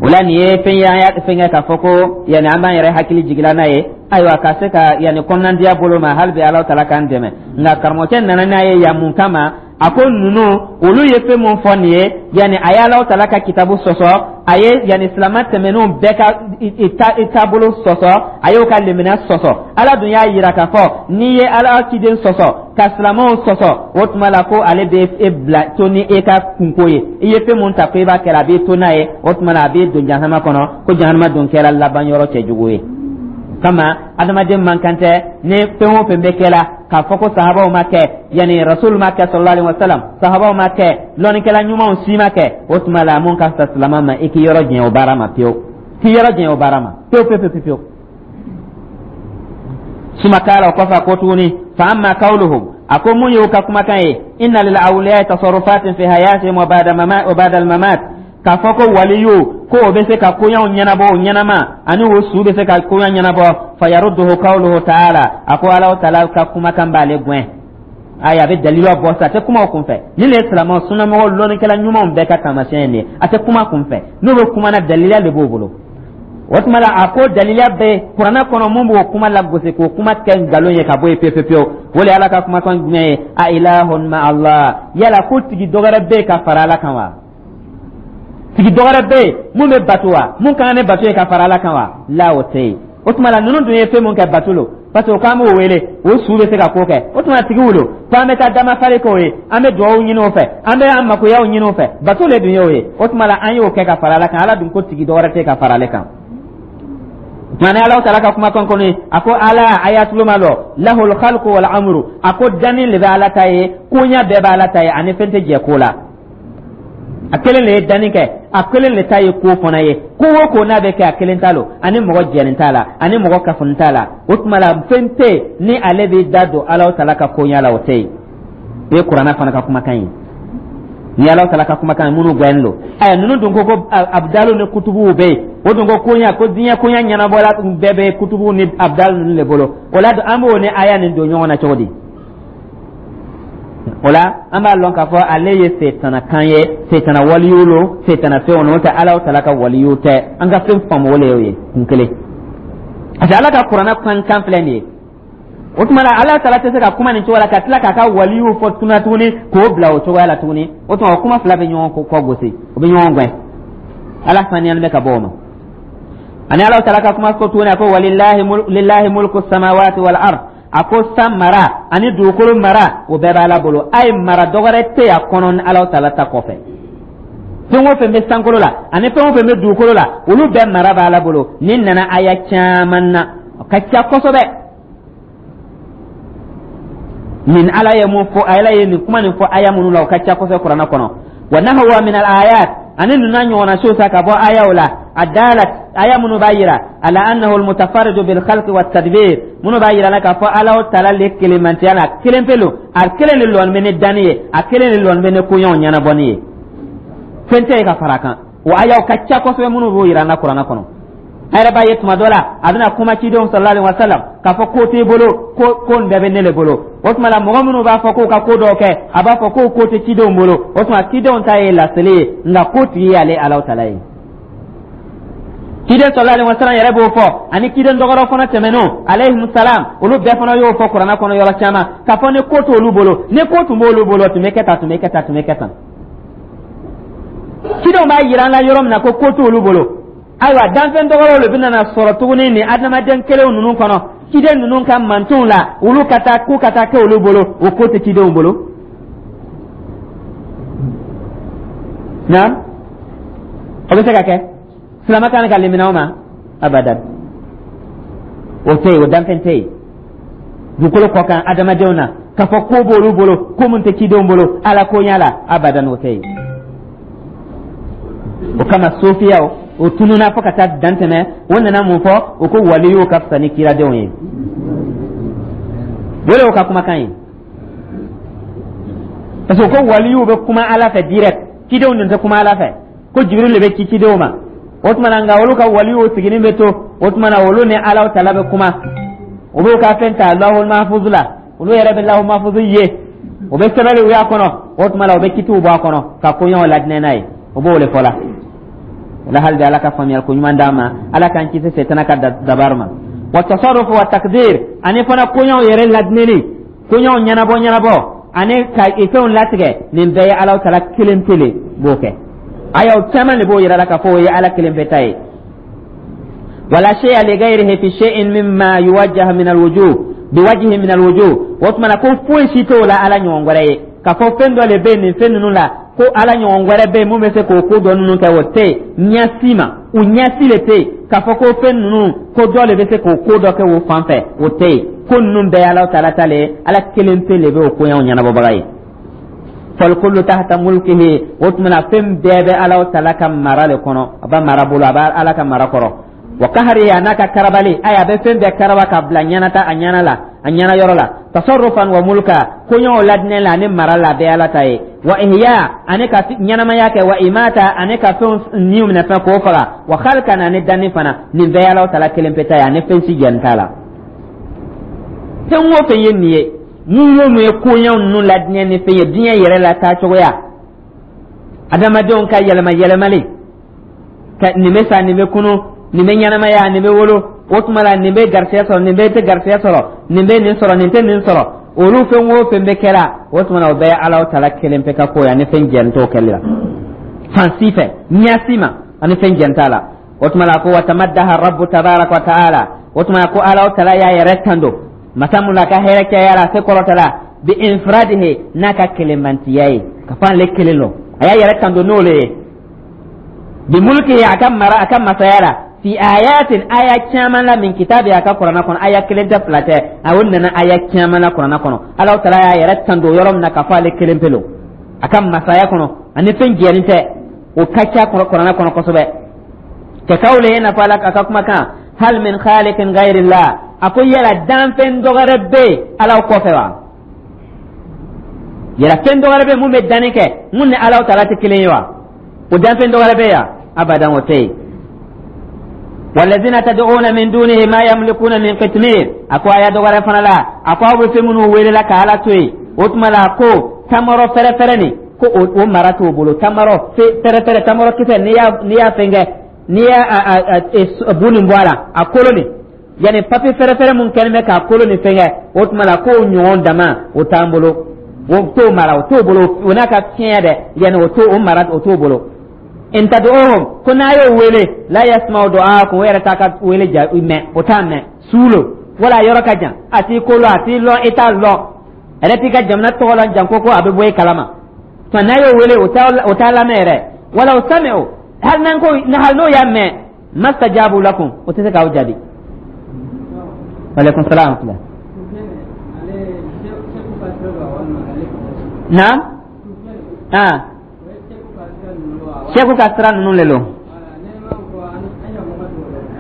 O la, nin ye fɛn ye an y'a fɛn kɛ k'a fɔ ko yanni an b'an yɛrɛ hakili jigila n'a ye, ayiwa, ka se ka yanni kɔnɔnandiya bolo ma. Hali bi Ala taala k'an dɛmɛ. Nka karamɔgɔcɛ nana n'a ye yan mun kama? A ko ninnu, olu ye fɛn mun fɔ nin ye, yanni a ye Ala taala ka kitabu sɔsɔ, a ye yanni silamɛ tɛmɛnenw bɛɛ ka i taabolo sɔsɔ, a y'o ka limaniya sɔsɔ. Ala dun y'a yira k'a fɔ n'i ye Ala ciden sɔsɔ ka silamɛw sɔsɔ, o tuma la ko ale bɛ e bila to ni e ka kunko ye. I ye fɛn mun ta ko i b'a kɛ, a b'i to n'a ye. O tuma la, a b'i don jahanama kɔnɔ, ko jahanama don kɛra laban yɔrɔ cɛjugu ye. Kama adamaden man kan tɛ ni fɛn o fɛn bɛ kɛ la k'a fɔ ko sahabaw ma kɛ, yanni Rasul ma kɛ sallallahu alaihi wasallam, sahabaw ma kɛ, lɔnnikɛla ɲumanw si ma kɛ. O tuma la, mun ka fisa silamɛ ma, i k'i yɔrɔ janya o baara ma pewu, k'i yɔrɔ janya o baara ma pewu pewu pewu pewu. Suma kala, o kɔfɛ a ko tuguni: fa amma qawluhum, a ko mun y'u ka kumakan ye, inna lil awliya tasarrufatin fi hayatihim wa ba'da al mamat, k'a fɔ ko waliyu ko o bɛ se ka koɲaw ɲɛnabɔ o ɲɛnama, ani o su bɛ se ka koɲa ɲɛnabɔ, fa yarudduhu qawluhu ta'ala, a ko Ala taala ka kumakan b'ale gɛn. Ayi, a bɛ dalilu bɔ sa, a tɛ kuma o kunfɛ. Nin de ye silamɛw, sunnamɔgɔw, lɔnnikɛla ɲumanw bɛɛ ka taamasiyɛn ye nin ye. A tɛ kuma kunfɛ, n'u bɛ kuma na, daliya de b'o bolo. O tuma la, a ko daliya bɛ Kuranɛ kɔnɔ mun b'o kuma lagosi, k'o kuma kɛ nkalon ye ka bɔ yen pewu pewu. O de ye Ala ka kumakan jumɛn ye? A ilahun ma Allah, yala ko tigi dɔ wɛrɛ bɛ yen ka fara Ala kan wa? Tigi dɔ wɛrɛ bɛ yen mun bɛ bato wa, mun ka kan ni bato ye ka fara Ala kan wa? La, o tɛ yen. O tuma la, ninnu dun ye fɛn mun kɛ, bato lo, parce que o k'an b'o wele, o su bɛ se ka ko kɛ. O tuma tigi wolo ko an bɛ taa damafari k'o ye, an bɛ dugawu ɲini o fɛ, an bɛ an makoyaw ɲini o fɛ, bato le dun y'o ye. O tuma la, an y'o kɛ ka fara Ala kan. Ala dun ko tigi dɔ wɛrɛ tɛ ka fara ale kan. Tuma ni Ala taala ka kumakan kɔnɔ, a ko ala a y'a tulo ma lɔ, lahul khalqu wal amru, a ko danni le bɛ Ala ta ye, koɲa bɛɛ bɛ Ala ta ye, ani fɛn tɛ jɛ ko la. A kelen le ye danni kɛ, a kelen le ta ye ko fana ye. Ko o ko n'a bɛ kɛ, a kelen ta lo, ani mɔgɔ jɛni t'a la, ani mɔgɔ kafoni t'a la. O tuma la, fɛn tɛ yen ni ale b'i da don Ala taala ka koɲa la, o tɛ yen. O ye Kuranɛ fana ka kumakan ye. Ni Ala taala ka kumakan ye, minnu gɛn don, aya ninnu dun ko ko abdalu ni kutubuw bɛ yen, o dun ko koɲa, ko diɲɛ koɲa ɲɛnabɔla bɛɛ bɛ kutubuw ni abdalu ninnu de bolo. O la, an b'o ni aya nin don ɲɔgɔn na cogo di? O la, an b'a lɔn k'a fɔ ale ye setana kan ye, setana waliyu lo, setana fɛnw n'o tɛ, Ala taala ka waliyu tɛ. An ka fɛn faamu, o le y'o ye kun kelen, parce que Ala ka Kuranɛ kan kan filɛ nin ye. O tuma la, Ala taala tɛ se ka kuma nin cogo la ka tila k'a ka waliyu fɔ tuna tuguni k'o bila o cogoya la tuguni. O tuma, o kuma fila bɛ ɲɔgɔn kɔ gosi, o bɛ ɲɔgɔn gɛn. Ala saniyalen bɛ ka bɔ o ma. Ani Ala taala ka kuma ko tuguni, a ko walillahi mulku samawati wal ard, a ko san mara ani dugukolo mara, o bɛɛ b'Ala bolo. A ye mara dɔ wɛrɛ tɛ a kɔnɔ ni Ala taala ta kɔfɛ. Fɛn o fɛn bɛ sankolo la ani fɛn o fɛn bɛ dugukolo la, olu bɛɛ mara b'Ala bolo. Nin nana aya caman na, o ka ca kosɛbɛ. Nin Ala ye mun fɔ, Ala ye nin kuma nin fɔ aya minnu la, o ka ca kosɛbɛ Kuranɛ kɔnɔ. Wa nahwa min al ayat, ani ninnu n'a ɲɔgɔnna siw sa ka bɔ ayaw la, a dalat, aya minnu b'a yira ala annahu almutafarridu bil khalqi wat tadbir, minnu b'a yira la k'a fɔ Ala taala le kelenmantiya la, kelen pe lo, a kelen le lɔni bɛ ni danni ye, a kelen le lɔni bɛ ni koɲɛw ɲɛnabɔni ye, fɛn tɛ yen ka fara a kan. O ayaw ka ca kosɛbɛ minnu b'o yira an na Kuranɛ kɔnɔ. A yɛrɛ b'a ye tuma dɔ la, a bɛna kuma cidenw sallallahu alaihi wasallam k'a fɔ ko t'e bolo, ko ko nin bɛɛ bɛ ne le bolo. O tuma la, mɔgɔ minnu b'a fɔ k'u ka ko dɔw kɛ, a b'a fɔ k'o ko tɛ cidenw bolo. O tuma, cidenw ta ye laseli ye, nka ko tigi y'ale Alahu taala ye. Ciden sallallahu alaihi wasallam yɛrɛ b'o fɔ, ani ciden dɔ wɛrɛ fana tɛmɛnenw alayhim salam, olu bɛɛ fana y'o fɔ kuranna kɔnɔ yɔrɔ caman, k'a fɔ ni ko t'olu bolo, ni ko tun b'olu bolo, tun bɛ kɛ tan, tun bɛ kɛ tan, tun bɛ kɛ tan. Cidenw b'a yira an la yɔrɔ min na ko ko t'olu bolo, ayiwa, danfɛn dɔ wɛrɛw de bɛna na sɔrɔ tuguni nin adamaden kelenw ninnu kɔnɔ, ciden ninnu ka mantonw la, olu ka taa ko ka taa kɛ olu bolo, o ko tɛ cidenw bolo. Naam, o bɛ se ka kɛ? Silama kan ka limaniya o ma abadan. O tɛ yen, o danfɛn tɛ yen dugukolo kɔ kan adamadenw na k'a fɔ ko b'olu bolo, ko mun tɛ cidenw bolo ala ko ɲɛ la, abadan, o tɛ yen. O kama sofiyaw o tununa fo ka taa dan tɛmɛ. O nana mun fɔ? O ko waliyuw ka fisa ni kiradenw ye. O de y'o ka kumakan ye, parce que ko waliyuw bɛ kuma ala fɛ direct, cidenw dun tɛ kuma ala fɛ, ko Jibiril de bɛ ci cidenw ma. O tuma na, nka olu ka waliyuw sigilen bɛ to, o tuma na olu ni Alahu taala bɛ kuma, u b'u ka fɛn ta lahul mahfuz la, olu yɛrɛ bɛ lahul mahfuz ye, u bɛ sɛbɛnniw y'a kɔnɔ, o tuma na u bɛ kitiw bɔ a kɔnɔ ka koɲɛw ladinɛ n'a ye. O b'o de fɔ la. O la, hali bi Ala ka faamuyali ko ɲuman d'an ma, Ala k'an kisi setana ka dabaru ma. Wa tasarrufu wa takdir, ani fana koɲɛw yɛrɛ ladinɛni, koɲɛw ɲɛnabɔ ɲɛnabɔ ani ka fɛnw latigɛ, nin bɛɛ ye Alahu taala kelen pe le b'o kɛ. Ayaw caman de b'o yira la k'a fɔ o ye Ala kelen pe ta ye. Wala shay'a li ghayrihi fi shay'in mimma yuwajjah min alwujuh biwajhin min alwujuh. O tuma na, ko foyi si t'o la Ala ɲɔgɔn wɛrɛ ye, k'a fɔ fɛn dɔ le bɛ nin fɛn ninnu la ko Ala ɲɔgɔn wɛrɛ bɛ yen mun bɛ se k'o ko dɔ ninnu kɛ, o tɛ yen ɲɛ si ma, o ɲɛ si le tɛ yen k'a fɔ ko fɛn ninnu, ko dɔ le bɛ se k'o ko dɔ kɛ o fan fɛ, o tɛ yen. Ko ninnu bɛɛ ye Ala taala ta le ye, Ala kelen pe le bɛ o koɲɛw ɲɛnabɔbaga ye. Falkullu tahta mulkihi. O tuma na, fɛn bɛɛ bɛ Ala taala ka mara le kɔnɔ, a b'a mara bolo, a b'a Ala ka mara kɔrɔ. Wa kahari, a n'a ka karabali, ayi, a bɛ fɛn bɛɛ karaba ka bila ɲɛnata a ɲɛna la, a ɲɛna yɔrɔ la. Tasarrufan wa mulka, koɲɛw ladinɛ la ani mara la, a bɛɛ Ala ta ye. Wa ihya, ani ka ɲɛnamaya kɛ, wa imata, ani ka fɛnw niw minɛ fɛn k'o faga, wa khalqan, ani danni fana, nin bɛɛ ye Ala taala kelen pe ta ye, ani fɛn si jɛn t'a la. Fɛn o fɛn ye nin ye, mun o mun ye koɲɛw ninnu ladinɛ ni fɛn ye, diɲɛ yɛrɛ la taacogoya, adamadenw ka yɛlɛma yɛlɛmali ka nin bɛ sa, nin bɛ kunu, nin bɛ ɲɛnamaya, nin bɛ wolo, o tuma la nin bɛ garisɛgɛ sɔrɔ, nin bɛ tɛ garisɛgɛ sɔrɔ, nin bɛ nin sɔrɔ, nin tɛ nin sɔrɔ, olu fɛn o fɛn bɛ kɛra, o tuma na o bɛɛ ye Ala taala kelen pe ka ko ye, ani fɛn jɛn t'o kɛli la fan si fɛ, ɲɛ si ma, ani fɛn jɛn t'a la. O tuma la ko wa tamaddaha rabbu tabaraka wa taala, o tuma la ko Ala taala y'a yɛrɛ tando, masa mun la ka hɛrɛ cayara, a se kɔrɔtala, bi infiradihi, n'a ka kelenmantiya ye, ka fɔ ale kelen lo, a y'a yɛrɛ tando n'o le ye, bi mulki, a ka mara, a ka masaya la, fi ayatin, aya caman la, min kitabi, a ka kuranna kɔnɔ, aya kelen tɛ, fila tɛ, a o nana aya caman la kuranna kɔnɔ. Ala taala y'a yɛrɛ tando yɔrɔ min na k'a fɔ ale kelen pe lo a ka masaya kɔnɔ, ani fɛn jɛni tɛ, o ka ca kuranna kɔnɔ kosɛbɛ. Ka kawli, i n'a fɔ Ala a ka kumakan, hal min khaliqin ghayrillah, a ko yala danfɛn dɔ wɛrɛ bɛ yen Ala kɔfɛ wa? Yala fɛn dɔ wɛrɛ bɛ yen mun bɛ danni kɛ, mun ni Ala taala tɛ kelen ye wa? O danfɛn dɔ wɛrɛ bɛ yan? Abadan, o tɛ yen. Walazina tad'una min dunihi ma yamlikuna min qitmir. A ko aya dɔ wɛrɛ fana la, a ko aw bɛ fɛn minnu wele la ka Ala to yen, o tuma la ko tamaro fɛrɛfɛrɛ nin, ko o mara t'o bolo. Tamaro fɛrɛfɛrɛ, tamaro kisɛ, n'i y'a fɛnkɛ, n'i y'a bu nin bɔ a la, a kolo nin, yanni papiye fɛrɛfɛrɛ mun kɛlen bɛ k'a kolo nin fɛnkɛ, o tuma la k'o ɲɔgɔn dama o t'an bolo, o t'o mara, o t'o bolo, o n'a ka fiɲɛ dɛ, yanni o t'o o mara, o t'o bolo. In tad'uhum, ko n'a y'o wele, la yasma'u du'aakum, o yɛrɛ t'a ka wele ja mɛn, o t'a mɛn, su lo wala yɔrɔ ka jan, a t'i ko lɔn, a t'i lɔn, i t'a lɔn, a yɛrɛ t'i ka jamana tɔgɔ lɔn janko ko a bɛ bɔ e kalama. Tuma n'a y'o wele, o t'a lamɛn yɛrɛ. Walaw sami'u, hali n'an ko hali n'o y'a mɛn, mastajabu lakum, o tɛ se k'aw jaabi. Aleykum salaam. Naam, ah, sɛku ka sira ninnu le lo.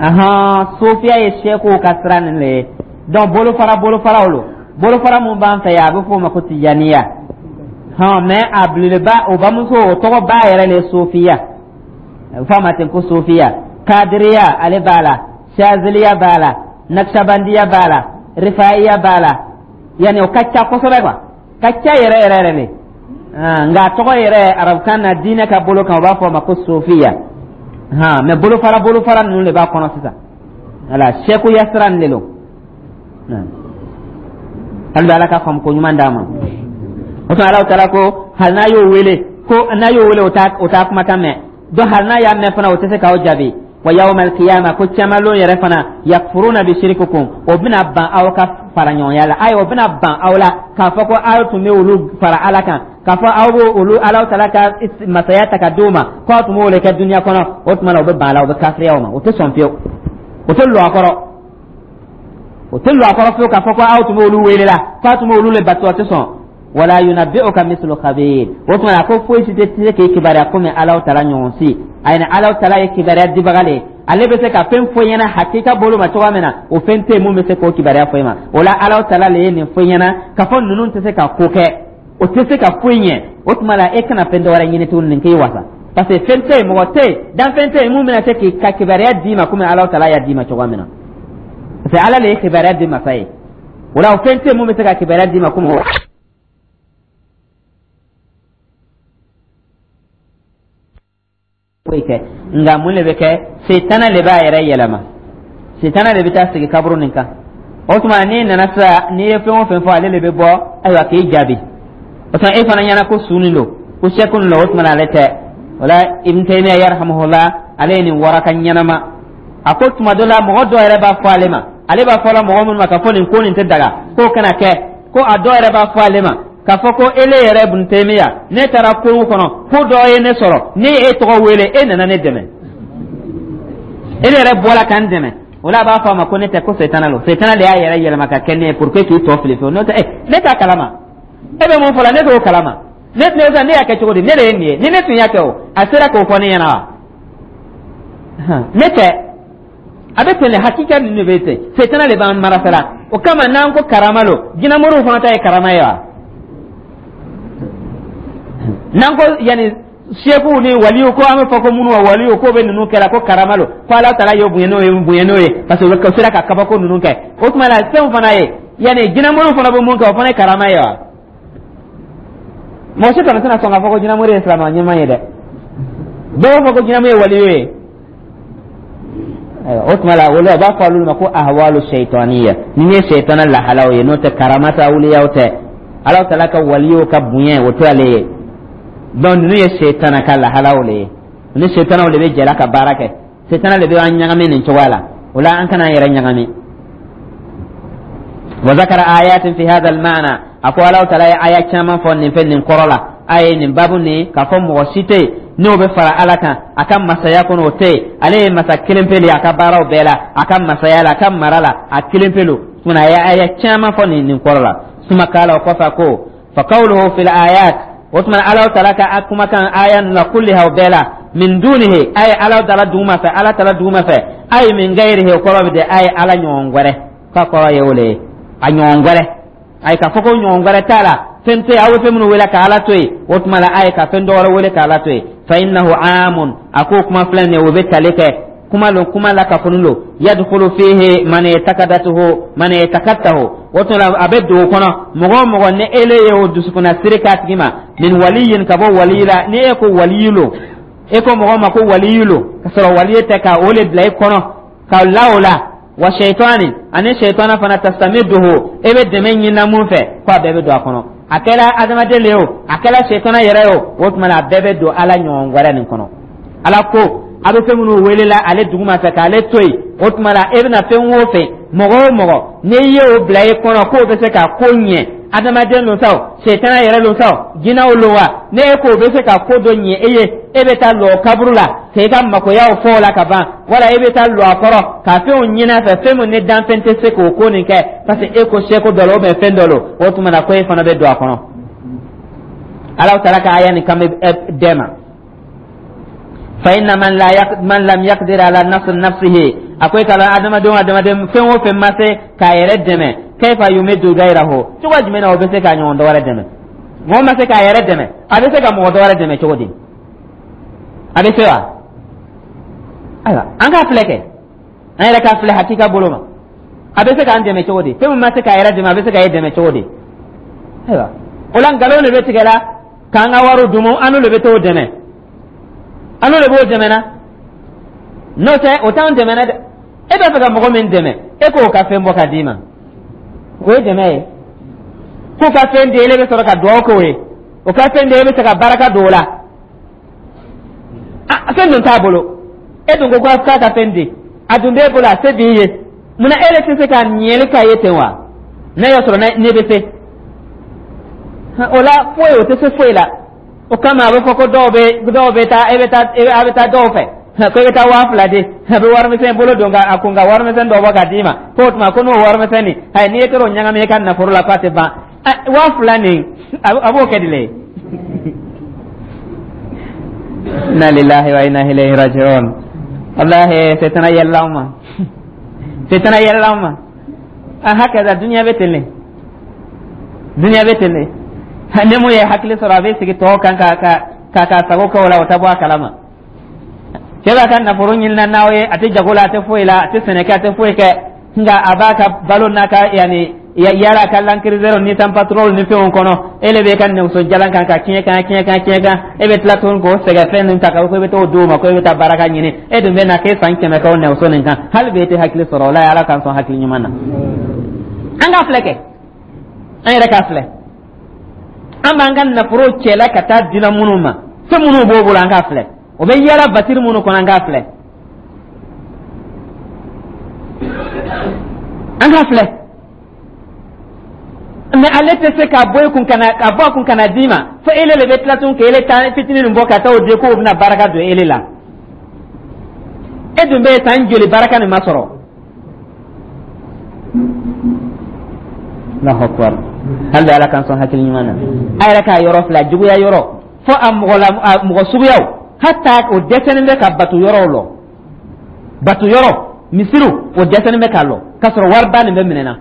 Ahan, sofiya ye sɛkuw ka sira nin le ye. Donc bolofara bolofaraw lo, bolofara mun b'an fɛ yan, a bɛ f'o ma ko tijaniya. Hɔn, mais a belebeleba, o bamuso, o tɔgɔ ba yɛrɛ le ye sofiya, a bɛ fɔ a ma ten ko sofiya. Kadiriya ale b'a la, shaziliya b'a la, naksabandiya b'a la, rifaiya b'a la, yanni o ka ca kosɛbɛ quoi, ka ca yɛrɛ yɛrɛ yɛrɛ le. Nka a tɔgɔ yɛrɛ arabukan na, diinɛ ka bolo kan, u b'a fɔ a ma ko sofiya. Han, mais bolofara bolofara ninnu de b'a kɔnɔ sisan. Wala sɛkuya sira nin de lo. Hali bi Ala ka faamu ko ɲuman d'a ma. O tuma Alahu Taala ko hali n'a y'o wele, ko n'a y'o wele, o t'a kumakan mɛn. Donc hali n'a y'a mɛn fana, o tɛ se k'aw jaabi. Wa yawma alqiyama, ko caman yɛrɛ fana, yakfuruna bi shirikukum, o bɛna ban aw ka fara ɲɔgɔnya la. Ayi, o bɛna ban aw la k'a fɔ ko aw tun bɛ olu fara Ala kan, k'a fɔ aw b'o olu Alahu Taala ka masaya ta ka d'u ma, ko aw tun b'o de kɛ duniya kɔnɔ. O tuma na, o bɛ ban a la, o bɛ kafiriya o ma, o tɛ sɔn fiyewu, o tɛ lɔ a kɔrɔ, o tɛ lɔ a kɔrɔ fiyewu k'a fɔ ko aw tun bɛ olu wele la, ko aw tun bɛ olu le bato, o tɛ sɔn. Wala yunabbi'uka mislu khabir. O tuma na, ko foyi si tɛ se k'i kibaruya komi Alahu Taala ɲɔgɔn si. Ayi, ni Alahu Taala ye kibaruya dibaga le ye, ale bɛ se ka fɛn fɔ ɲɛna hakika bolo ma cogoya min na, o fɛn tɛ yen mun bɛ se k'o kibaruya fɔ e ma. O la, Alahu Taala le ye nin fɔ ɲɛna k'a fɔ ninnu tɛ se ka ko kɛ, o tɛ se ka foyi ɲɛ. O tuma la, e kana fɛn dɔ wɛrɛ ɲini tuguni, nin k'i wasa, parce que fɛn tɛ yen, mɔgɔ tɛ yen, danfɛn tɛ yen mun bɛna se k'i ka kibaruya d'i ma komi Alahu Taala y'a d'i ma cogoya min na, parce que Ala le ye kibaruya di masa ye. O la, o fɛn tɛ yen mun bɛ se ka kibaruya d'i ma komi foyi kɛ. Nka mun de bɛ kɛ? Setana de b'a yɛrɛ yɛlɛma, setana de bɛ taa sigi kaburu nin kan. O tuma n'i nana sisan, n'i ye fɛn o fɛn fɔ, ale de bɛ bɔ, ayiwa, k'i jaabi. O tuma e fana ɲɛna ko su nin don, ko sɛku nin don, o tuma na ale tɛ. O la, Ibn Taymiya yarhamuhullah, ale ye nin waraka ɲɛnama. A ko tuma dɔ la, mɔgɔ dɔ yɛrɛ b'a fɔ ale ma, ale b'a fɔ la mɔgɔ minnu ma k'a fɔ nin ko nin tɛ daga, k'o kana kɛ, ko a dɔ yɛrɛ b'a fɔ ale ma k'a fɔ ko ele yɛrɛ Ibn Taymiya, ne taara kungo kɔnɔ, ko dɔ ye ne sɔrɔ, ne ye e tɔgɔ wele, e nana ne dɛmɛ, e yɛrɛ bɔra ka n dɛmɛ. O la, a b'a fɔ a ma ko ne tɛ, ko setana lo, setana de y'a yɛrɛ yɛlɛma ka kɛ ne ye pour que k'i tɔ fili fiyewu. N'o tɛ, ne t'a kalama. E bɛ mun fɔ la, ne t'o kalama. Ne y'a kɛ cogo di? Ne de ye nin ye. Ni ne tun y'a kɛ, o a sera k'o fɔ ne ɲɛna wa? Ne tɛ. A bɛ ten de, hakika ninnu de bɛ ten. Setana de b'an marasala. O kama, n'an ko karama lo, jinɛmoriw fana ta ye karama ye wa? N'an ko yanni sekuw ni waliw, ko an bɛ fɔ ko minnu wa waliw, k'o bɛ ninnu kɛra ko karama lo, ko Ala taala y'o bonya n'o ye, bonya n'o ye, parce que o sera ka kabako ninnu kɛ. O tuma la, fɛnw fana ye yanni jinɛmoriw fana bɛ mun kɛ, o fana ye karama ye wa? Mɔgɔ si kɔni tɛna sɔn k'a fɔ ko jinɛmori ye silamɛ ɲuman ye dɛ. Bɛɛ b'a fɔ ko jinɛmori ye waliyu ye. Ayiwa, o tuma la, olu a b'a fɔ olu ma ko ahwalu shaytaniya, ni ye sɛtana lahalaw ye. N'o tɛ, karama tɛ, awuliyaw tɛ, Ala taala ka waliyow ka bonya o tɛ ale ye. Donc ninnu ye sɛtana ka lahalaw le ye, ni sɛtanaw de bɛ jɛra ka baara kɛ, sɛtana de bɛ an ɲagami nin cogoya la. O la, an kana an yɛrɛ ɲagami. Wa zakara ayatin fi hadha al-ma'na, a ko Ala taala ye aya caman fɔ nin fɛn nin kɔrɔ la. A ye nin babu nin k'a fɔ mɔgɔ si tɛ yen n'o bɛ fara Ala kan a ka masaya kɔnɔ, o tɛ yen. Ale ye masa kelen pe de ye a ka baaraw bɛɛ la, a ka masaya la, a ka mara la, a kelen pe lo. Tuma a ye aya caman fɔ nin kɔrɔ la. Suma kala, o kɔfɛ ko fa qawluhu fil ayat, o tuma Ala taala ka a kumakan aya ninnu la, kulliha, o bɛɛ la, min dunihi, a ye Ala taala duguma fɛ, Ala taala duguma fɛ, a ye min gayrihi, o kɔrɔ bɛ de a ye Ala ɲɔgɔn wɛrɛ, k'a kɔrɔ ye o le ye, a ɲɔgɔn wɛrɛ. Ayi, k'a fɔ ko ɲɔgɔn wɛrɛ t'a la, fɛn tɛ yen aw bɛ fɛn minnu wele ka Ala to yen, o tuma la, a ye ka fɛn dɔ wɛrɛ wele ka Ala to yen. Fa innahu amun, a ko kuma filɛ nin ye, o bɛ tali kɛ kuma lo, kuma la kafoni lo. Yadkhulu fihi man i'taqadatuhu, man i'taqadtahu, o tuma la, a bɛ don o kɔnɔ mɔgɔ o mɔgɔ ni ele ye o dusukunna siri k'a tigi ma, min waliyin, ka bɔ waliyi la. Ni e ko waliyi lo, e ko mɔgɔ ma ko waliyi lo, ka sɔrɔ waliyi tɛ, ka o le bila i kɔnɔ ka la o la. Wa shaitani, ani shaitana fana, tastamidduhu, e bɛ dɛmɛ ɲinina mun fɛ, ko a bɛɛ bɛ don a kɔnɔ. A kɛra adamaden le ye o, a kɛra shaitana yɛrɛ ye o, o tuma na, a bɛɛ bɛ don Ala ɲɔgɔn wɛrɛ nin kɔnɔ. Ala ko a bɛ fɛn minnu welela ale duguma fɛ k'ale to yen, o tuma la, e bɛna fɛn o fɛn, mɔgɔ o mɔgɔ, n'i ye o bila i kɔnɔ k'o bɛ se ka ko ɲɛ, adamaden lo sa o, sɛtana yɛrɛ lo sa o, jinɛw lo wa, ne e k'o bɛ se ka ko dɔ ɲɛ e ye, e bɛ taa lɔ kaburu la k'e ka makoyaw fɔ o la ka ban, wala e bɛ taa lɔ a kɔrɔ ka fɛnw ɲini a fɛ, fɛn min ni danfɛn tɛ se k'o ko nin kɛ, parce que e ko seko dɔ la ou bien fɛn dɔ lo, o tuma na, ko e fana bɛ don a kɔnɔ. Ala taala ka aya nin kan bɛ dɛ ma. Fa inna man la man lam yaqdir ala nasr nafsihi, a ko i k'a lɔn adamaden, adamaden fɛn o fɛn ma se k'a yɛrɛ dɛmɛ, kayfa yumiddu gayrahu, cogo jumɛn na o bɛ se k'a ɲɔgɔn dɔ wɛrɛ dɛmɛ? Mɔgɔ ma se k'a yɛrɛ dɛmɛ, a bɛ se ka mɔgɔ dɔ wɛrɛ dɛmɛ cogo di? A bɛ se wa? Ayiwa, an k'a filɛ kɛ, an yɛrɛ k'a filɛ hakika bolo ma. A bɛ se k'an dɛmɛ cogo di? Fɛn min ma se k'a yɛrɛ dɛmɛ, a bɛ se k'a dɛmɛ cogo di? Ayiwa, o la, nkalon de bɛ tigɛ la k'an ka wariw dumu, an n'olu de bɛ t'o dɛmɛ, an n'olu de b'o dɛmɛ na. N'o tɛ, o t'anw dɛmɛ dɛ. E b'a fɛ ka mɔgɔ min dɛmɛ, e k'o ka fɛn bɔ ka d'i ma, o ye dɛmɛ ye. K'o ka fɛn di, ele bɛ sɔrɔ ka dugawu k'o ye. O ka fɛn di, e bɛ se ka baraka don o la. A fɛn dun t'a bolo, e dun ko k'a ka fɛn di, a dun b'e bolo, a se b'i ye. Munna e yɛrɛ tɛ se ka ɲɛli k'a ye ten wa, n'a y'a sɔrɔ ne bɛ se o la? Foyi, o tɛ se foyi la. O kama a bɛ fɔ ko dɔw bɛ taa, e bɛ taa, a bɛ taa dɔw fɛ ko i bɛ taa 2000 di, a bɛ warimisɛn bolo don ka a kun ka warimisɛn dɔ bɔ ka d'i ma, k'o tuma ko n'o warimisɛn nin, ayi, n'i ye t'o ɲagami i ka nafolo la, k'a tɛ ban. 2000 nin, a b'o kɛ di le? Inna lillahi wa inna ilayhi raji'un. Wallahi, setana yɛlɛla anw ma, setana yɛlɛla anw ma. A hakaza dunuya bɛ ten le, dunuya bɛ ten le. Ni mun ye hakili sɔrɔ, a bɛ sigi tɔw kan ka sago kɛ o la, o tɛ bɔ a kalama. Cɛ b'a ka nafolo ɲinina n'aw ye, a tɛ jago la, a tɛ foyi la, a tɛ sɛnɛ kɛ, a tɛ foyi kɛ, nka a b'a ka balo n'a ka yanni yala ka Land Cruiser ni Nissan Patrol ni fɛnw kɔnɔ. E le bɛ ka nɛgɛso jalan kan ka tiɲɛ kan, tiɲɛ kan, tiɲɛ kan. E bɛ tila tuguni k'o sɛgɛ fɛn ninnu ta ka ko i bɛ t'o d'o ma, ko e bɛ taa baraka ɲini. E dun bɛ na k'e san 100 kɛ o nɛgɛso nin kan, hali bi e tɛ hakili sɔrɔ o la. Ala k'an sɔn hakili ɲuman na. An k'a filɛ kɛ, an yɛrɛ k'a filɛ, an b'an ka nafolo cɛla ka taa dila minnu ma, fɛn minnu b'o bolo, an k'a filɛ, o bɛ yala batiri minnu kɔnɔ, an k'a filɛ, an k'a filɛ. Mais ale tɛ se k'a bɔ e kun ka na, k'a bɔ a kun ka na d'i ma, fo ele le bɛ tila tun k'ele ta fitinin nin bɔ ka taa o di, k'o bɛna baraka don ele la. E dun bɛ san joli, baraka nin ma sɔrɔ? Allahu akbar. Hali ala k'an sɔn hakili ɲuman na. A yɛrɛ k'a yɔrɔ filɛ, juguya yɔrɔ fo a mɔgɔ la, a mɔgɔ suguyaw, hata o dɛsɛlen bɛ ka bato yɔrɔw lɔ, bato yɔrɔ misiriw, o dɛsɛlen bɛ k'a lɔ, k'a sɔrɔ wariba nin bɛ minɛ na.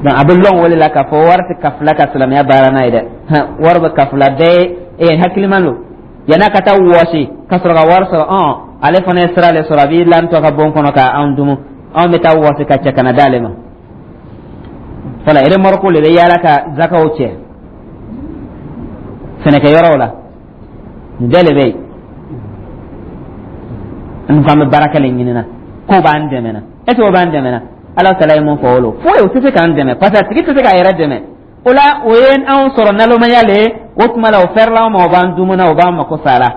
Donc a bɛ lɔn o de la k'a fɔ wari tɛ kafila ka silamɛya baara n'a ye dɛ. Wari bɛ kafila bɛɛ ye, hakiliman don. Yan'a ka taa wɔsi ka sɔrɔ ka wari sɔrɔ, ale fana ye sira de sɔrɔ, a b'i lantɔ ka bon kɔnɔ ka anw dumu, anw bɛ taa wɔsi ka cɛ ka na d'ale ma. Fɔlɔ, remorque le bɛ yaala ka zakaw cɛ sɛnɛkɛyɔrɔw la. Nin bɛɛ de bɛ yen. An ko an bɛ baraka le ɲinina k'o b'an dɛmɛ na. Est ce que o b'an dɛmɛ na? Ala taala ye mun fɔ o lo? Foyi, o tɛ se k'an dɛmɛ, parce que a tigi tɛ se k'a yɛrɛ dɛmɛ. O la, o ye anw sɔrɔ nalomaya le ye. O tuma la, o fɛrɛla anw ma, o b'an dumuna, o b'an mako sa la.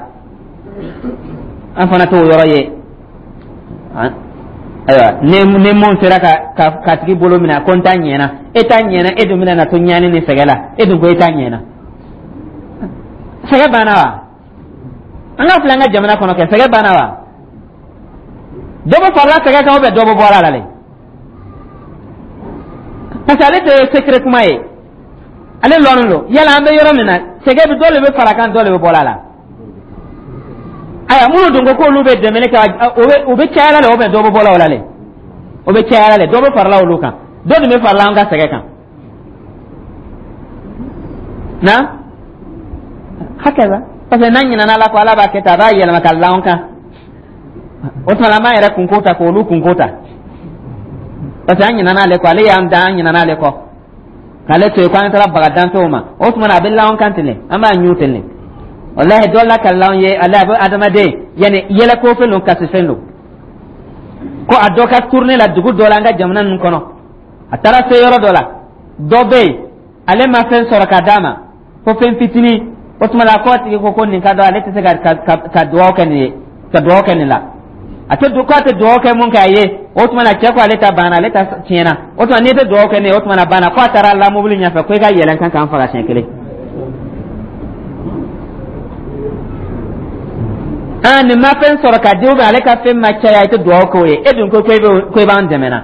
An fana t'o yɔrɔ ye. Ayiwa, ni mun sera ka tigi bolo minɛ ko n ta ɲɛna, e ta ɲɛna, e dun bɛna na to ɲani ni sɛgɛ la. E dun ko e ta ɲɛna, sɛgɛ banna wa? An ka filɛ an ka jamana kɔnɔ kɛ, sɛgɛ banna wa? Dɔ bɛ farala sɛgɛ kan, ou bien dɔ bɛ bɔ a la le? Parce que ale tɛ secret kuma ye, ale lɔnnen don. Yala an bɛ yɔrɔ min na, sɛgɛ bɛ dɔ de bɛ fara kan, dɔ de bɛ bɔ a la. Ayiwa, minnu dun ko k'olu bɛ dɛmɛli kɛ, o bɛ caya la le, ou bien dɔ bɛ bɔ la o la le? O bɛ caya la le, dɔ bɛ farala olu kan, dɔ dun bɛ farala an ka sɛgɛ kan na hakɛ la. Parce que n'an ɲinɛna Ala kɔ, Ala b'a kɛ tan, a b'a yɛlɛma ka la an kan. O tuma la, an b'an yɛrɛ kunko ta k'olu kunko ta, parce que an ɲinɛna ale kɔ. Ale y'an dan, an ɲinɛna ale kɔ k'ale to yen ko an taara baga danfɛnw ma. O tuma na, a bɛ la an kan ten de, an b'a ɲu ten de. Walahi, dɔ la ka la an ye, ale a bɛ adamaden yanni yɛlɛko fɛn don, kasi fɛn don. Ko a dɔ ka tournée la dugu dɔ la an ka jamana ninnu kɔnɔ, a taara se yɔrɔ dɔ la, dɔ bɛ yen, ale ma fɛn sɔrɔ ka d'a ma ko fɛn fitinin. O tuma la, k'o tigi ko nin ka dɔn, ale tɛ se ka dugawu kɛ nin ye, ka dugawu kɛ nin la. A tɛ k'a tɛ dugawu kɛ mun kɛ a ye. O tuma na, cɛ ko ale ta banna, ale ta tiɲɛna. O tuma, n'i tɛ dugawu kɛ nin ye, o tuma na banna. Ko a taara la mobili ɲɛfɛ ko i ka yɛlɛn kan k'an faga siɲɛ kelen. Aa, nin ma fɛn sɔrɔ ka di, ou bien ale ka fɛn ma caya, i tɛ dugawu k'o ye. E dun ko ko i b'an dɛmɛ na,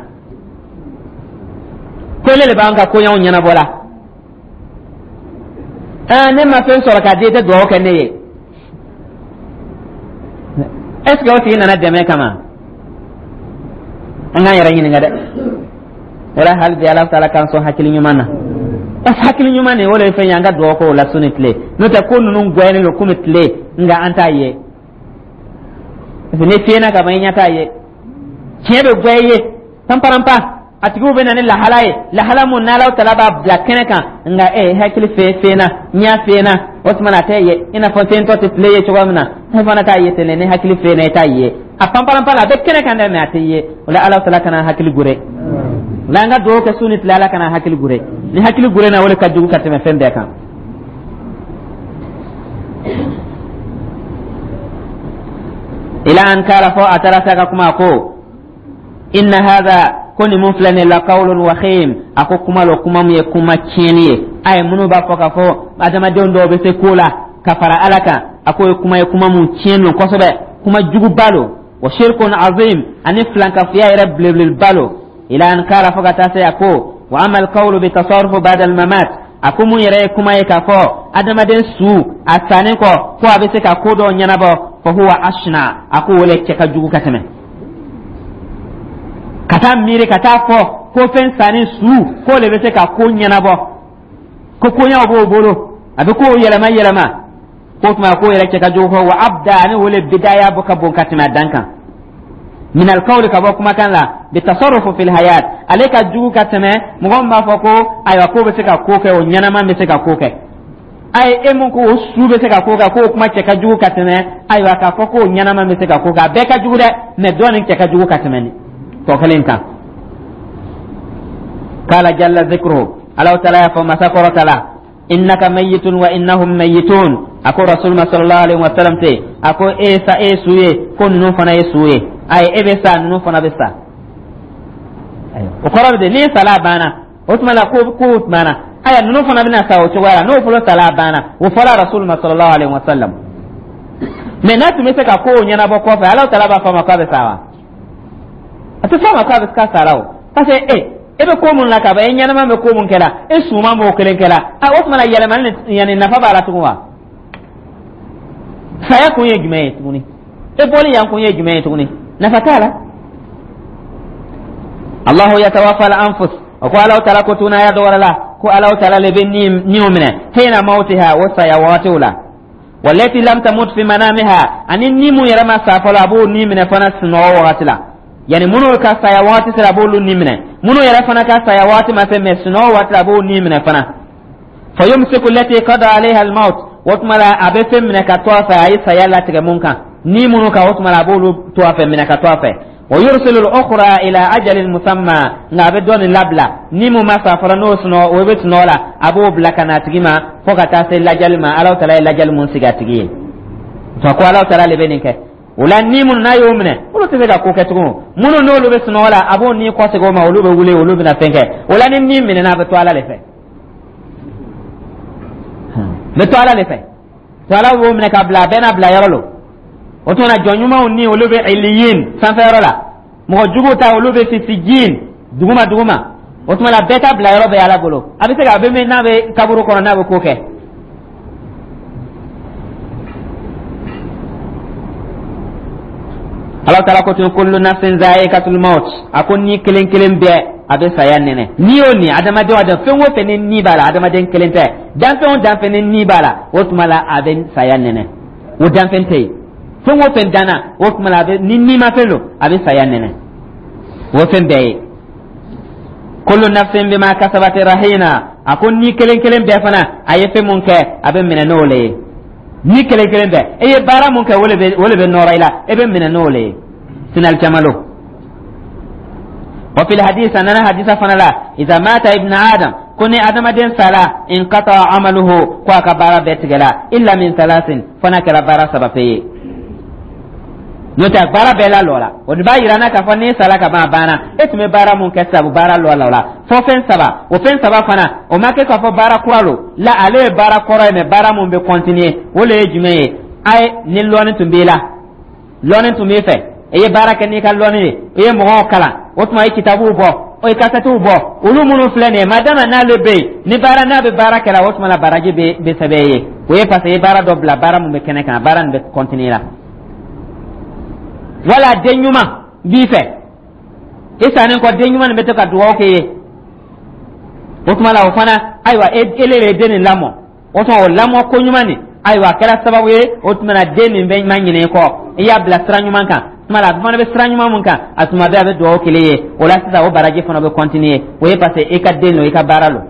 ko ele de b'an ka koɲɛw ɲɛnabɔ la. Aa, ne ma fɛn sɔrɔ ka di, i tɛ dugawu kɛ ne ye. Est ce que o tigi nana dɛmɛ kama? An k'an yɛrɛ ɲininka dɛ. Wala hali bi, Ala taala k'an sɔn hakili ɲuman na, parce que hakili ɲuman nin, o de ye fɛn ye an ka dugawu k'o la su ni tile. N'o tɛ, ko ninnu gwɛnnen don komi tile, nka an t'a ye, parce que ni fiyɛna ka ban, i ɲɛ t'a ye. Tiɲɛ bɛ gwɛ i ye panparanpa. A tigiw bɛ na ni lahala ye, lahala mun n'Alaw tala b'a bila kɛnɛ kan, nka e hakili fenna, ɲɛ fenna, o tuma na a tɛ ye i n'a fɔ fentɔ tɛ tile ye cogoya min na, e fana t'a ye ten. Ni hakili fenna, i t'a ye. A panpalanpan la, a bɛ kɛnɛ kan dɛ, mɛ a tɛ ye. O la, Alaw tala kana hakili gure. O la, an ka dugawu kɛ su ni tile, Ala kana hakili gure. Ni hakili gure na, o de ka jugu ka tɛmɛ fɛn bɛɛ kan. Ila an kala, fo a taara se a ka kuma ko: inna hadha, ko nin mun filɛ nin, la qawlun wakhim, a ko kuma lo, kuma mun ye kuma tiɲɛni ye. A ye minnu b'a fɔ k'a fɔ adamadenw dɔw bɛ se ko la ka fara Ala kan, a ko ye kuma ye, kuma mun tiɲɛ don kosɛbɛ, kuma juguba lo. Wa shirkun azim, ani filankafoya yɛrɛ belebeleba lo. Ila an kala, fo ka taa se a ko: wa ama alqawlu bi tasarrufu ba'da almamat, a ko mun yɛrɛ ye kuma ye k'a fɔ adamaden su a sannen kɔ, ko a bɛ se ka ko dɔw ɲɛnabɔ, fa huwa ashna, a ko o le cɛ ka jugu ka tɛmɛ ka taa miiri ka taa fɔ ko fɛn sanni su k'o le bɛ se ka ko ɲɛnabɔ, ko koɲaw b'o bolo, a bɛ kow yɛlɛma yɛlɛma. K'o tuma k'o yɛrɛ cɛ ka jugu fɔ. Wa abda, ani o le bidaya bɔ ka bon ka tɛmɛ a dan kan. Min alkawli, ka bɔ kumakan la, bi tasarrufu fil hayat, ale ka jugu ka tɛmɛ mɔgɔ min b'a fɔ ko ayiwa, k'o bɛ se ka ko kɛ, o ɲɛnama bɛ se ka ko kɛ. Ayi, e mun ko o su bɛ se ka ko kɛ, k'o kuma cɛ ka jugu ka tɛmɛ ayiwa k'a fɔ k'o ɲɛnama bɛ se ka ko kɛ. A bɛɛ ka jugu dɛ, mɛ dɔ nin cɛ ka jugu ka tɛmɛ nin tɔ kelen kan. Kala jalla zikruhu, Alaw taala y'a fɔ, masa kɔrɔta la: innaka mayyitun wa innahum mayyitun. A ko rasul ma sallallahu alaihi wa sallam te, a ko e sa, e su ye, ko ninnu fana ye su ye. Ayi, e bɛ sa, ninnu fana bɛ sa. O kɔrɔ bɛ di? N'i sala, a banna. O tuma la ko tuma na, aya, ninnu fana bɛna sa o cogoya la. N'o fɔlɔ sala, a banna. O fɔra rasul ma sallallahu alaihi wa sallam. Mɛ n'a tun bɛ se ka kow ɲɛnabɔ kɔfɛ, Ala taala b'a fɔ a ma k'a bɛ sa wa? A tɛ fɔ a ma k'a bɛ k'a sara o, parce que e bɛ ko mun la ka ban, e ɲɛnama bɛ ko mun kɛla, e suman b'o kelen kɛla. A o tuma na, yɛlɛmali ni yanni nafa b'a la tugun wa? Saya kun ye jumɛn ye tuguni? E bɔli yan kun ye jumɛn ye tuguni? Nafa t'a la. Allahu yatawaffa al-anfus, o ko Alahu taala ko tun aya dɔ wɛrɛ la ko Alahu taala le bɛ niw minɛ, hina mawtiha, o saya wagatiw la, wallati lam tamut fi manamiha, ani ni mun yɛrɛ ma sa fɔlɔ, a b'o ni minɛ fana sunɔgɔ wagati la. Yani minnu ka saya wagati sera, a b'olu ni minɛ. Minnu yɛrɛ fana ka saya wagati ma se, mɛ sunɔgɔ waati la, a b'o ni minɛ fana. Fa yumsiku allati qada alayha al-maut, o tuma la a bɛ fɛn minɛ ka to a fɛ, a ye saya latigɛ mun kan, ni minnu kan, o tuma la a b'olu to a fɛ, minɛ ka to a fɛ. Wa yursilu al-ukhra ila ajalin musamma, nka a bɛ dɔ nin labila, ni mun ma sa fɔlɔ, n'o sunɔgɔ, o bɛ sunɔgɔ la, a b'o bila ka na a tigi ma fo ka taa se lajali ma, Alahu taala ye lajali mun sigi a tigi ye. Fa ko Alahu taala le bɛ nin kɛ. O la, ni minnu n'a y'o minɛ, olu tɛ se ka ko kɛ tugun. Minnu n'olu bɛ sunɔgɔ la, a b'o ni kɔsegin o ma, olu bɛ wuli, olu bɛna fɛn kɛ. O la, ni ni minɛna, a bɛ to Ala de fɛ, bɛ to Ala de fɛ. To Ala b'o minɛ ka bila, a bɛɛ n'a bila yɔrɔ lo. O tuma na, jɔn ɲumanw ni olu bɛ iliyin, sanfɛ yɔrɔ la. Mɔgɔ juguw ta, olu bɛ sijin, duguma duguma. O tuma na, bɛɛ ta bila yɔrɔ bɛ Ala bolo. A bɛ se ka a bɛ min n'a bɛ kaburu kɔnɔ, n'a bɛ ko kɛ. Ala taala ko tun: kullu nafsin za'iqatul maut, a ko ni kelen kelen bɛɛ, a bɛ saya nɛnɛ. Ni o ni adamaden o adamaden, fɛn o fɛn ni ni b'a la, adamaden kelen tɛ, danfɛn o danfɛn ni ni b'a la, o tuma la a bɛ saya nɛnɛ. O danfɛn tɛ yen, fɛn o fɛn danna, o tuma la a bɛ ni nimafɛn don, a bɛ saya nɛnɛ, o fɛn bɛɛ ye. Kullu nafsin bima kasabat rahina, a ko ni kelen kelen bɛɛ fana, a ye fɛn mun kɛ, a bɛ minɛ n'o le ye. Ni kelen kelen bɛɛ, e ye baara mun kɛ, o le bɛ nɔrɔ i la, e bɛ minɛ n'o le ye sinali caman lo. Wa fil hadith, a nana hadisa fana la: iza mata ibn adam, ko ni adamaden sala, inqata amaluhu, ko a ka baara bɛɛ tigɛla, illa min salasin, fo n'a kɛra baara saba pe ye, n'o tɛ baara bɛɛ lalɔ la. O de b'a yira n na k'a fɔ n'i sala ka ban, a banna. E tun bɛ baara mun kɛ sabu baara lɔ la o la, fo fɛn saba. O fɛn saba fana, o ma kɛ k'a fɔ baara kura lo la, ale ye baara kɔrɔ ye, mɛ baara mun bɛ continuer, o le ye jumɛn ye? A ye ni lɔnni tun b'i la, lɔnni tun b'i fɛ, i ye baara kɛ n'i ka lɔnni ye, i ye mɔgɔw kalan, o tuma i ye kitabuw bɔ, o ye kasɛtiw bɔ, olu minnu filɛ nin ye, madama n'ale bɛ yen ni baara n'a bɛ baara kɛra, o tuma la baraji bɛ sɛbɛn i ye. O ye parce que i ye baara dɔ bila, baara mun bɛ kɛnɛ kan, baara nin bɛ continuer la. Wala den ɲuman b'i fɛ, i sannen kɔ, den ɲuman nin bɛ to ka dugawu k'i ye, o tuma la o fana, ayiwa, e ele de ye den nin lamɔ, o tuma o lamɔ ko ɲuman nin, ayiwa, a kɛra sababu ye, o tuma na den nin bɛ ma ɲinɛ i kɔ, i y'a bila sira ɲuman kan. Tuma la, a fana bɛ sira ɲuman mun kan, a tuma bɛɛ a bɛ dugawu kelen ye. O la sisan, o baraji fana bɛ continuer. O ye parce que i ka den lo, i ka baara lo.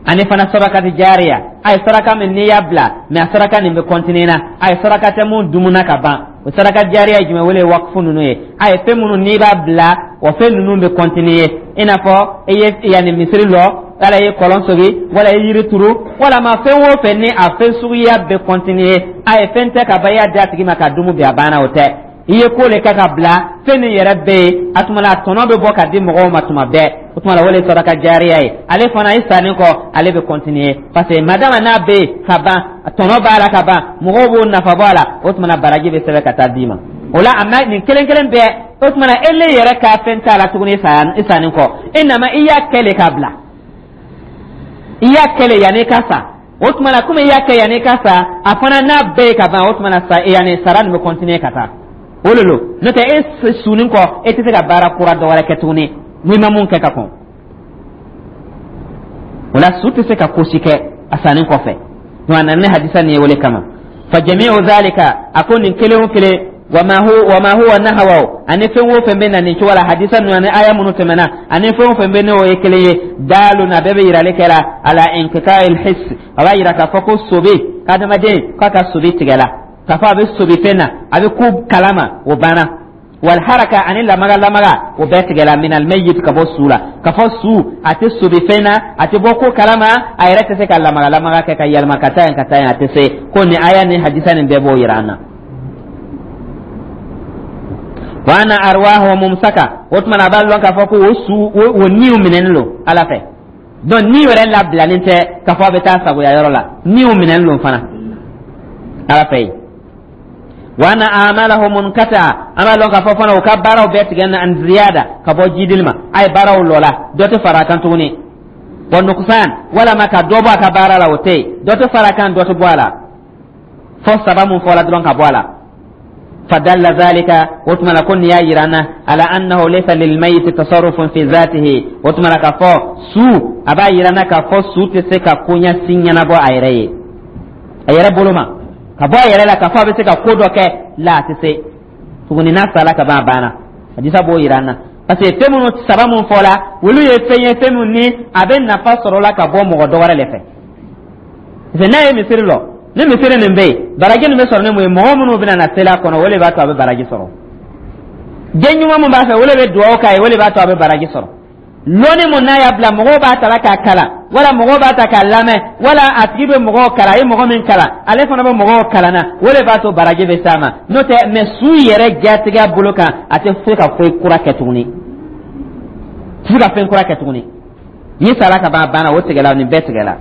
Ani fana sarakati jariya, a ye saraka min n'i y'a bila, mais a saraka nin bɛ continuer na. A ye saraka tɛ mun dumuna ka ban. O saraka jariya ye jumɛn? Wele ye wakufu ninnu ye. A ye fɛn minnu n'i b'a bila, o fɛn ninnu bɛ continuer, i n'a fɔ i ye yanni misiri lɔ, wala i ye kɔlɔn sogi, wala i ye yiri turu, walama fɛn o fɛn ni a fɛn suguya bɛ continuer. A ye fɛn tɛ ka ban, i y'a di a tigi ma ka dumu bi, a banna, o tɛ. I ye ko le kɛ ka bila, fɛn min yɛrɛ bɛ yen, a tuma la, a tɔnɔ bɛ bɔ ka di mɔgɔw ma tuma bɛɛ. O tuma la, o de ye saraka jariya ye. Ale fana, i sanni kɔ, ale bɛ continuer, parce que madama n'a bɛ yen ka ban, tɔnɔ b'a la ka ban, mɔgɔw b'o nafa bɔ a la. O tuma na, baraji bɛ sɛbɛn ka taa d'i ma o la. A ma nin kelen kelen bɛɛ, o tuma na, e le yɛrɛ ka fɛn t'a la tuguni i sanni kɔ. E nama, i y'a kɛ le k'a bila, i y'a kɛ le yanni i ka sa. O tuma na, komi i y'a kɛ yanni i ka sa, a fana n'a bɛɛ ye ka ban, o tuma na, sa yanni sara nin bɛ continuer ka taa. O le lo. N'o tɛ, e sunni kɔ, e tɛ se ka baara kura dɔ wɛrɛ kɛ tuguni n'i ma mun kɛ ka kɔn. O la, su tɛ se ka ko si kɛ a sanni kɔfɛ. Donc a nana ni hadisa nin ye o le kama. Fa jami'u zalika, a ko nin kelen o kelen, wama huwa nahawaw, ani fɛn o fɛn bɛ na nin cogo la, hadisa ninnu ani aya minnu tɛmɛna, ani fɛn o fɛn bɛ n'o ye kelen ye, daalun, a bɛɛ bɛ yirali kɛ la, ala inqita'il hiss, a b'a yira k'a fɔ ko sobe k'adamaden k'a ka sobe tigɛla, k'a fɔ a bɛ sobi fɛn na, a bɛ ko kalama, o banna. Wal haraka, ani lamaga lamaga, o bɛɛ tigɛla, minal mayyit, ka bɔ su la, ka fɔ su a tɛ sobi fɛn na, a tɛ bɔ ko kalama, a yɛrɛ tɛ se ka lamaga lamaga kɛ ka yɛlɛma ka taa yen ka taa yen, a tɛ se. Ko nin aya ni hadisa nin bɛɛ b'o yira an na. Wa anna arwahu mumsaka, o tuma na, a b'a lɔn k'a fɔ ko o su o niw minɛnen don Ala fɛ. Donc ni yɛrɛ labilalen tɛ k'a fɔ a bɛ taa sagoya yɔrɔ la, niw minɛnen don fana Ala fɛ yen. Wa anna a'malahu munkata, an b'a lɔn k'a fɔ fana u ka baaraw bɛɛ tigɛ na, an ziyada, ka bɔ jidili ma, a ye baaraw lɔla, dɔ tɛ fara a kan tuguni, wa nuqsan, walama ka dɔ bɔ a ka baara la, o tɛ yen. Dɔ tɛ fara a kan, dɔ tɛ bɔ a la, fɔ saba mun fɔla dɔrɔn ka bɔ a la. Fadalla zalika, o tuma la, ko nin y'a yira an na, ala annahu laysa lilmayiti tasarrufun fi zatihi, o tuma la, k'a fɔ su, a b'a yira an na k'a fɔ su tɛ se ka koɲa si ɲɛnabɔ a yɛrɛ ye, a yɛrɛ bolo ma, ka bɔ a yɛrɛ la, k'a fɔ a bɛ se ka ko dɔ kɛ la, a tɛ se tuguni. N'a sala ka ban, a banna. Hadisa b'o yira an na, parce que fɛn minnu saba mun fɔla, olu ye fɛn ye, fɛn minnu ni a bɛ nafa sɔrɔ la ka bɔ mɔgɔ dɔ wɛrɛ de fɛ. Parce que n'a ye misiri lɔ, ni misiri nin bɛ yen, baraji nin bɛ sɔrɔ ni mun ye? Mɔgɔ minnu bɛna na seli a kɔnɔ, o de b'a to a bɛ baraji sɔrɔ. Den ɲuman mun b'a fɛ, o de bɛ dugawu k'a ye, o de b'a to a bɛ baraji sɔrɔ. Lɔnni mun n'a y'a bila, mɔgɔw b'a ta la k'a kalan, wala mɔgɔw b'a ta k'a lamɛn, wala a tigi bɛ mɔgɔw kalan, a ye mɔgɔ min kalan, ale fana bɛ mɔgɔw kalan na, o de b'a to baraji bɛ s'a ma. N'o tɛ, mais su yɛrɛ jatigɛ bolo kan, a tɛ se ka foyi kura kɛ tuguni, tɛ se ka fɛn kura kɛ tuguni. Ni sara ka ban, a banna, o tigɛla, nin bɛɛ tigɛla.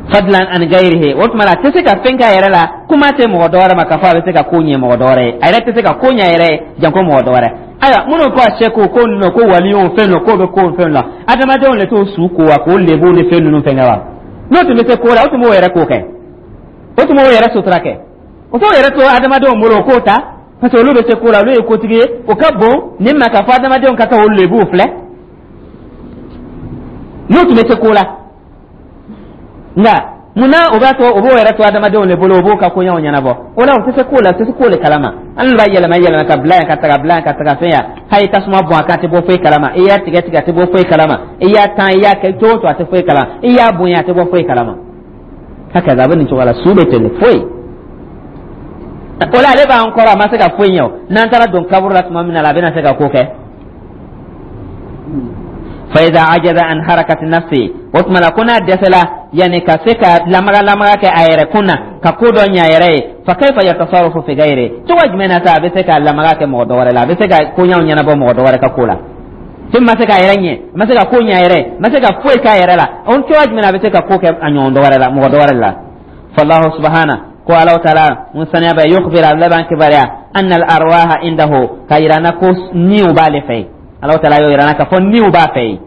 Fadlan an gayrihi, o tuma la, a tɛ se ka fɛn k'a yɛrɛ la, kuma tɛ mɔgɔ dɔ wɛrɛ ma k'a fɔ a bɛ se ka ko ɲɛ mɔgɔ dɔ wɛrɛ ye. A yɛrɛ tɛ se ka ko ɲɛ a yɛrɛ ye, janko mɔgɔ dɔ wɛrɛ. Ayiwa, minnu ko a sɛko ko ninnu, ko waliw fɛn dɔ ko bɛ ko fɛn la, adamadenw de t'o su ko wa k'o lebuw ni fɛn ninnu fɛn kɛ wa? N'o tun bɛ se ko la, o tun b'o yɛrɛ ko kɛ, o tun b'o yɛrɛ sutura kɛ, o t'o yɛrɛ to adamadenw bolo o k'o ta, parce que olu bɛ se ko la, olu ye kotigi ye. O ka bon nin ma k'a fɔ adamadenw ka taa o lebuw filɛ, n'o tun bɛ se ko la. Nka munna o b'a to o b'o yɛrɛ to adamadenw de bolo, o b'o ka koɲɛw ɲɛnabɔ? O la, o tɛ se ko la, o tɛ se ko le kalama. An b'a yɛlɛma yɛlɛma ka bila yan, ka taga bila yan, ka taga fɛn yan. Hali tasuma bɔn a kan, a tɛ bɔ foyi kalama. I y'a tigɛ tigɛ, a tɛ bɔ foyi kalama. I y'a tan, i y'a kɛ cogo o cogo, a tɛ foyi kalama. I y'a bonya, a tɛ bɔ foyi kalama. Hakaza, a bɛ nin cogo la, su bɛ ten de, foyi. O la, ale b'an kɔrɔ, a ma se ka foyi ɲɛ. O n'an taara don kaburu la tuma min na, a bɛna se ka ko kɛ. Fa iza ajaza an harakati nafsi, o tuma la, ko n'a dɛsɛla yanni ka se ka lamaga lamaga kɛ a yɛrɛ kun na, ka ko dɔ ɲɛ a yɛrɛ ye, fa kayfa yatasarrafu fi gayri, cogo jumɛn na sa a bɛ se ka lamaga kɛ mɔgɔ dɔ wɛrɛ la, a bɛ se ka koɲaw ɲɛnabɔ mɔgɔ dɔ wɛrɛ ka ko la? Fɛn ma se k'a yɛrɛ ɲɛ, a ma se ka ko ɲɛ a yɛrɛ, a ma se ka foyi k'a yɛrɛ la, o cogo jumɛn na a bɛ se ka ko kɛ a ɲɔgɔn dɔ wɛrɛ la, mɔgɔ dɔ wɛrɛ la? Fallahu subhana, ko Ala taala mun saniya bɛ, yukhbir, a laban kibaruya, anna al arwaha indahu, ka yira na ko niw b'ale fɛ yen. Ala taala y'o yira na k'a fɔ niw b'a fɛ yen.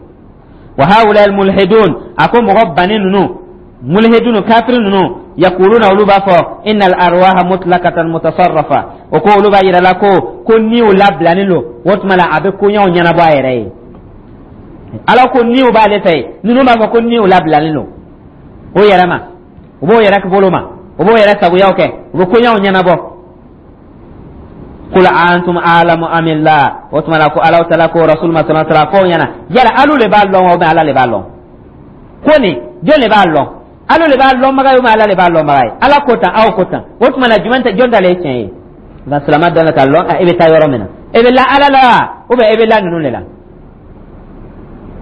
Wa haula al mulhidun, a ko mɔgɔ banni ninnu, mulhidun, kafiri ninnu, yakuluna, olu b'a fɔ, innal arwaha mutlaqatan mutasarrafa, o ko olu b'a yira la ko niw labilanen don, o tuma la, a bɛ koɲaw ɲɛnabɔ a yɛrɛ ye. Ala ko niw b'ale fɛ yen, ninnu b'a fɔ ko niw labilalen don o yɛrɛ ma, o b'o yɛrɛ bolo ma. O b'o yɛrɛ sagoyaw kɛ, u bɛ koɲaw ɲɛnabɔ. Qul antum a'lamu amillah. O tuma la ko Alahu Taala ko Rasul ma sallallahu alaihi wasallam fɔ ɲɛna, yala alu le b'a lɔn wa, Ala le b'a lɔn? Ko nin, jɔn le b'a lɔn? Alu le b'a lɔnbaga ye, Ala le b'a lɔnbaga ye? Ala ko tan, aw ko tan. O tuma la, jumɛn tɛ, jɔn ta le ye tiɲɛ ye? Nka silamɛ dɔn ka lɔn e bɛ taa yɔrɔ min na, e bɛ la Ala la ou bien e bɛ la ninnu de la?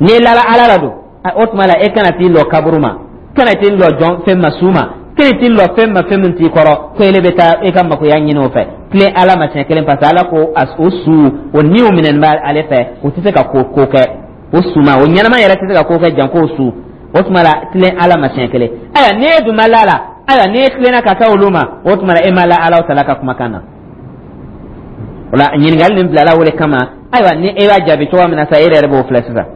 N'i lala Ala la don, o tuma la e kana t'i lɔ kaburu ma, kana t'i lɔ jɔn fɛn ma, su ma, kana t'i lɔ fɛn ma, fɛn min t'i kɔrɔ, ko ele bɛ taa e ka makoya ɲini o fɛ. Tilen Ala ma siɲɛ kelen, parce que Ala ko o su o niw minɛnen bɛ ale fɛ, o tɛ se ka ko ko kɛ. O su ma, o ɲɛnama yɛrɛ tɛ se ka ko kɛ janko o su. O tuma la, tilen Ala ma siɲɛ kelen. Ayiwa, n'e dun ma la la, ayiwa, n'e tilenna ka taa olu ma, o tuma la e ma la Ala tala ka kumakan na. O la, ɲininkali nin bilala o de kama. Ayiwa, ni e b'a jaabi cogoya min na sa, e yɛrɛ b'o filɛ sisan.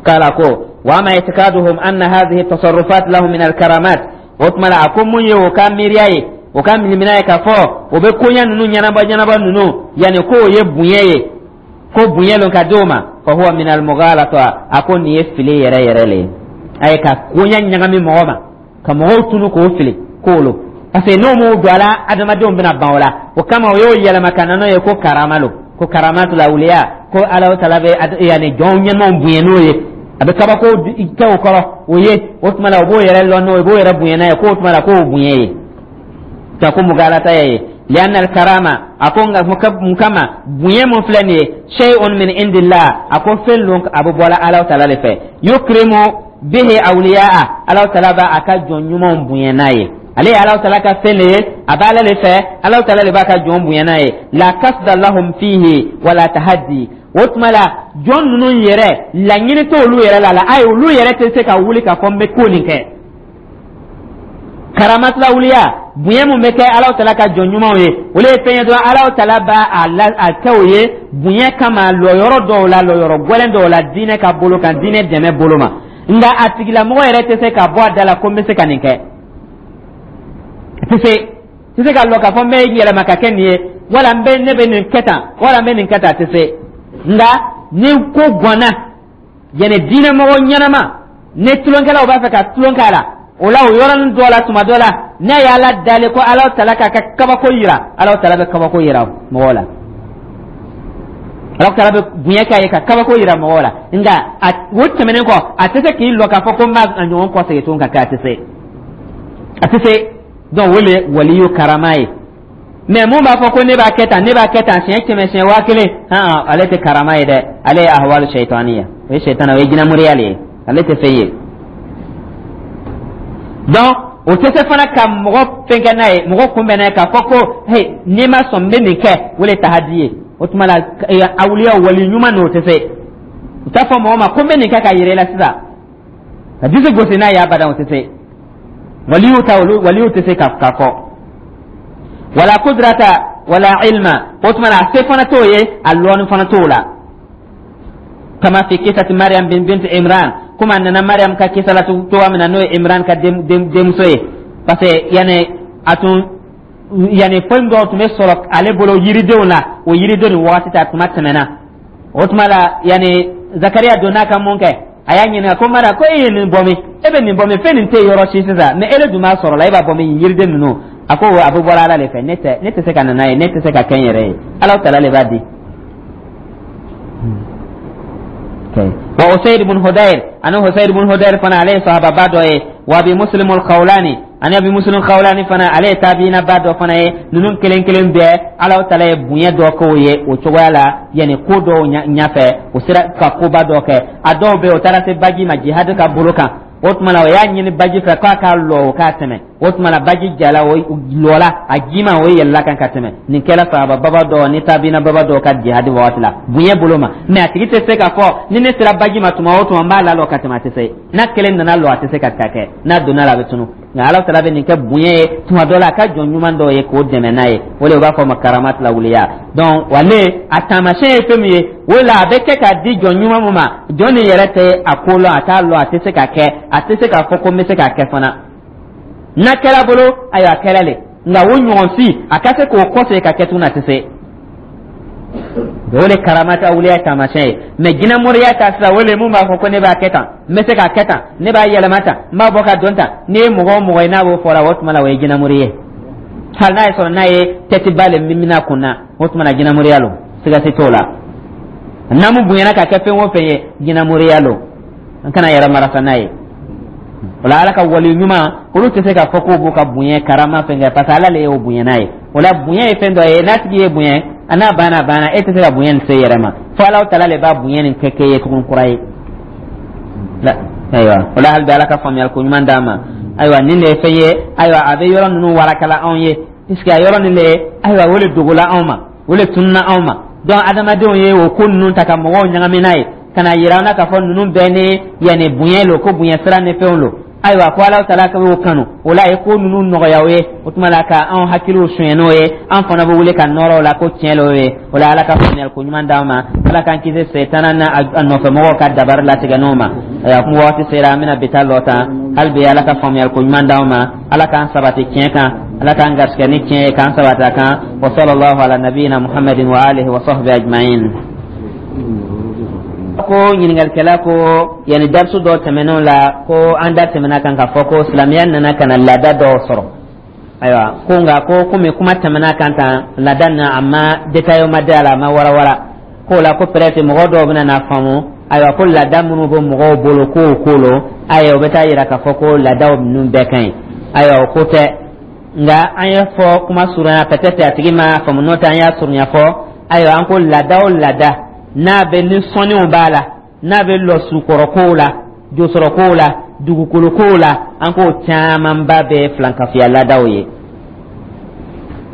Kala ko wa ama i'tiqaduhum anna hadhihi tasarrufat lahum min alkaramat. O tuma la, a ko mun ye o ka miiriya ye, o ka milimina ye, k'a fɔ o bɛ koɲa ninnu ɲɛnabɔ ɲɛnabɔ ninnu, yanni ko o ye bonya ye, ko bonya lon ka di o ma, fa huwa min almughalata. A ko nin ye fili yɛrɛ yɛrɛ le ye. A ye ka koɲa ɲagami mɔgɔ ma, ka mɔgɔw tunu k'o fili k'o parce que n'o m'o don a la, adamadenw bɛna ban o la. O kama o y'o yɛlɛma ka na n'o ye ko karama lo, ko karamatu lawuliya, ko Ala tala bɛ yanni jɔn ɲɛnamaw bonya n'o ye, a bɛ kabako kɛ o kɔrɔ o ye. O tuma la, o b'o yɛrɛ lɔn n'o ye, o b'o yɛrɛ bonya n'a ye, k'o tuma la k'o bonya ye ka ko mugalata ye. Lianna alkarama, a ko nka mun kama bonya mun filɛ nin ye, shay'un min indillah, a ko fɛn lon, a bɛ bɔla Ala tala de fɛ, yukrimu bihi awliyaa, Ala tala b'a a ka jɔn ɲumanw bonya n'a ye. Ale ye Ala tala ka fɛn de ye, a b'Ala de fɛ, Ala tala de b'a ka jɔn bonya n'a ye. La kasda lahum fihi wala tahaddi. O tuma la, jɔn ninnu yɛrɛ laɲini t'olu yɛrɛ la ayi, olu yɛrɛ tɛ se ka wuli k'a fɔ n bɛ ko nin kɛ. Karamatulawuliya, bonya mun bɛ kɛ Ala tala ka jɔn ɲumanw ye, olu ye fɛn ye dɔrɔn, Ala tala b'a a la a kɛ o ye bonya kama lɔyɔrɔ dɔw la, lɔyɔrɔ gɛlɛn dɔw la, diinɛ ka bolo kan, diinɛ dɛmɛ bolo ma. Nka a tigilamɔgɔ yɛrɛ tɛ se ka bɔ a da la ko n bɛ se ka nin kɛ. A tɛ se ka lɔ k'a fɔ n bɛ yɛlɛma ka kɛ nin ye, wala n bɛ ne bɛ nin kɛ tan, wala n bɛ nin kɛ tan, a tɛ se. Nka ni ko ganna, yanni diinɛmɔgɔ ɲɛnama ni tulonkɛlaw b'a fɛ ka tulon k'a la, o la o yɔrɔnin dɔ la, tuma dɔ la, n'a ye Ala dali ko Ala tala k'a ka kabako yira, Ala tala bɛ kabako yira mɔgɔw la, Ala tala bɛ bonya k'a ye ka kabako yira mɔgɔw la. Nka a o tɛmɛnen kɔ, a tɛ se k'i lɔ k'a fɔ ko n b'a ɲɔgɔn kɔsegin tuguni ka kɛ, a tɛ se, a tɛ se. Donc o le waliyu karama ye. Mais mun b'a fɔ ko ne b'a kɛ tan, ne b'a kɛ tan siɲɛ 100, siɲɛ 1000, han, ale tɛ karama ye dɛ, ale ye ahwalu shaitaniya, o ye shaitana, o ye jinɛmoriya le ye, ale tɛ fɛn ye. Donc o tɛ se fana ka mɔgɔ fɛn kɛ n'a ye, mɔgɔ kunbɛn n'a ye k'a fɔ ko hey, n'i ma sɔn, n bɛ nin kɛ, o le tahadi ye. O tuma la, awuliya wali ɲuman n'o tɛ se, u t'a fɔ mɔgɔ ma ko n bɛ nin kɛ ka yɛrɛ la sisan ka disi gosi n'a ye, abadan, o tɛ se. Waliyu ta, olu waliyu tɛ se ka fɔ wala kudrata wala ilma. O tuma la, a se fana t'o ye, a lɔnni fana t'o la. Kama fi kisati Mariam bin bint Imran, komi a nana Mariam ka kisa la cogoya min na, n'o ye Imran ka denmuso ye, parce que yani a tun yani fɛn dɔw tun bɛ sɔrɔ ale bolo yiridenw la, o yiriden nin wagati ta tuma tɛmɛna. O tuma la, yani Zakariya donna ka mun kɛ? A y'a ɲininka ko Mariam, ko e ye nin bɔ min? E bɛ nin bɔ min? Fɛn nin tɛ yɔrɔ si sisan, mais e de dun b'a sɔrɔ la, e b'a bɔ min, yiriden ninnu? A ko a bɛ bɔra Ala de fɛ, ne tɛ, ne tɛ se ka na n'a ye, ne tɛ se ka kɛ n yɛrɛ ye, Ala tala de b'a di. Wa Usayd ibn Hudayr, ani Usayd ibn Hudayr fana, ale ye sahababa dɔ ye. Wa Abi Muslim al-Khawlani, ani Abi Muslim al-Khawlani fana, ale ye tabiina ba dɔ fana ye. Ninnu kelen kelen bɛɛ, Ala tala ye bonya dɔ k'o ye o cogoya la, yanni ko dɔw ɲɛfɛ, o sera ka koba dɔ kɛ. A dɔw bɛ yen, o taara se baji ma jihad ka bolo kan. O tuma la, o y'a ɲini baji fɛ k'a ka lɔ, o k'a tɛmɛ. O tuma la, baji jala, o lɔla a jima, o yɛlɛla kan ka tɛmɛ. Nin kɛra sahaba baba dɔ ni tabiina baba dɔw ka jihadi wagati la, bonya bolo ma. Mais a tigi tɛ se k'a fɔ ni ne sera baji ma tuma o tuma, n b'a lalɔ ka tɛmɛ, a tɛ se. N'a kelen nana lɔ, a tɛ se ka kɛ, n'a donna la, a bɛ tunu. Nka Ala tala bɛ nin kɛ bonya ye tuma dɔ la a ka jɔn ɲuman dɔw ye k'o dɛmɛ n'a ye. O de u b'a fɔ ma karamat lawuliya. Donc wale a taamasiyɛn ye fɛn min ye, o la a bɛ kɛ k'a di jɔn ɲuman mun ma, jɔn nin yɛrɛ tɛ a ko lɔn, a t'a lɔn, a tɛ se ka kɛ, a tɛ se k'a fɔ ko n bɛ se k'a kɛ fana. N'a kɛra bolo, ayiwa, a kɛra le. Nka o ɲɔgɔn si a ka se k'o kɔsegin ka kɛ tuguni, a tɛ se. O le karamata awuliya taamasiyɛn ye. Mɛ jinɛmoriya ta sira, o le mun b'a fɔ ko ne b'a kɛ tan, n bɛ se k'a kɛ tan, ne b'a yɛlɛma tan, n b'a bɔ ka don tan. N'i ye mɔgɔ o mɔgɔ ye n'a b'o fɔ la, o tuma la o ye jinɛmori ye. Hali n'a ye sɔrɔ n'a ye tɛtiba le min a kun na, o tuma na jinɛmoriya lo, siga si t'o la. N'an bonyana ka kɛ fɛn o fɛn ye, jinɛmoriya lo, an kana yɛrɛ marasa n'a ye. O la, Ala ka wali ɲuman, olu tɛ se k'a fɔ k'o b'u ka bonya karama fɛn kɛ, parce que Ala le y'o bonya n'a ye. O la, bonya ye fɛn dɔ ye, n'a tigi ye bonya a n'a banna, a banna. E tɛ se ka bonya nin se yɛrɛ ma, fo Ala tala le b'a bonya nin kɛ k'e ye tugun kura ye. Ayiwa, o la, hali bi Ala ka faamuyali ko ɲuman d'an ma. Ayiwa, nin de ye fɛn ye. Ayiwa, a bɛ yɔrɔ ninnu warakala anw ye, puisque a yɔrɔ nin de, ayiwa, o de dogola anw ma, o de tununa anw ma. Donc adamadenw ye o ko ninnu ta ka mɔgɔw ɲagami n'a ye, ka na yira an na k'a fɔ ninnu bɛɛ ni yanni bonya lo, ko bonya sira ni fɛnw lo. Ayiwa, ko Ala tala ka y'o kanu, o la a ye ko ninnu nɔgɔya o ye. O tuma la, ka anw hakiliw suɲɛ n'o ye, an fana bɛ wuli ka nɔrɔ o la ko tiɲɛ l'o ye. O la, Ala ka faamuyali ko ɲuman d'an ma. Ala k'an kisi setana n'a a nɔfɛmɔgɔw ka dabari latigɛ n'o ma. Ayiwa, kuma waati sera, an bɛna bi ta lɔ tan. Hali bi, Ala ka faamuyali ko ɲuman d'an ma. Ala k'an sabati tiɲɛ kan, Ala k'an garisɛgɛ ni tiɲɛ ye, k'an sabati a kan. Wa sallallahu ala nabiyina Muhammadin wa alihi wa sahbihi ajma'in. Ko ɲininkalikɛla ko yanni darisu dɔ tɛmɛnenw la, ko an da tɛmɛna kan k'a fɔ ko silamɛya nana ka na laada dɔw sɔrɔ. Ayiwa, ko nka ko komi kuma tɛmɛna kan tan, laada na a ma détail ma da a la, a ma warawara k'o la, ko peut-être mɔgɔ dɔw bɛna n'a faamu. Ayiwa, ko laada minnu bɛ mɔgɔw bolo k'o ko lo, ayiwa, o bɛ taa yira k'a fɔ ko laadaw ninnu bɛɛ ka ɲi. Ayiwa, o ko tɛ. Nka an ye fɔ kuma surunya, peut-être a tigi ma faamu, n'o tɛ an y'a surunya fɔ. Ayiwa, an ko laada o laada n'a bɛ ni sɔnniw b'a la, n'a bɛ lɔ sukɔrɔkow la, josɔrɔkow la, dugukolokow la, an k'o camanba bɛ filankafoya laadaw ye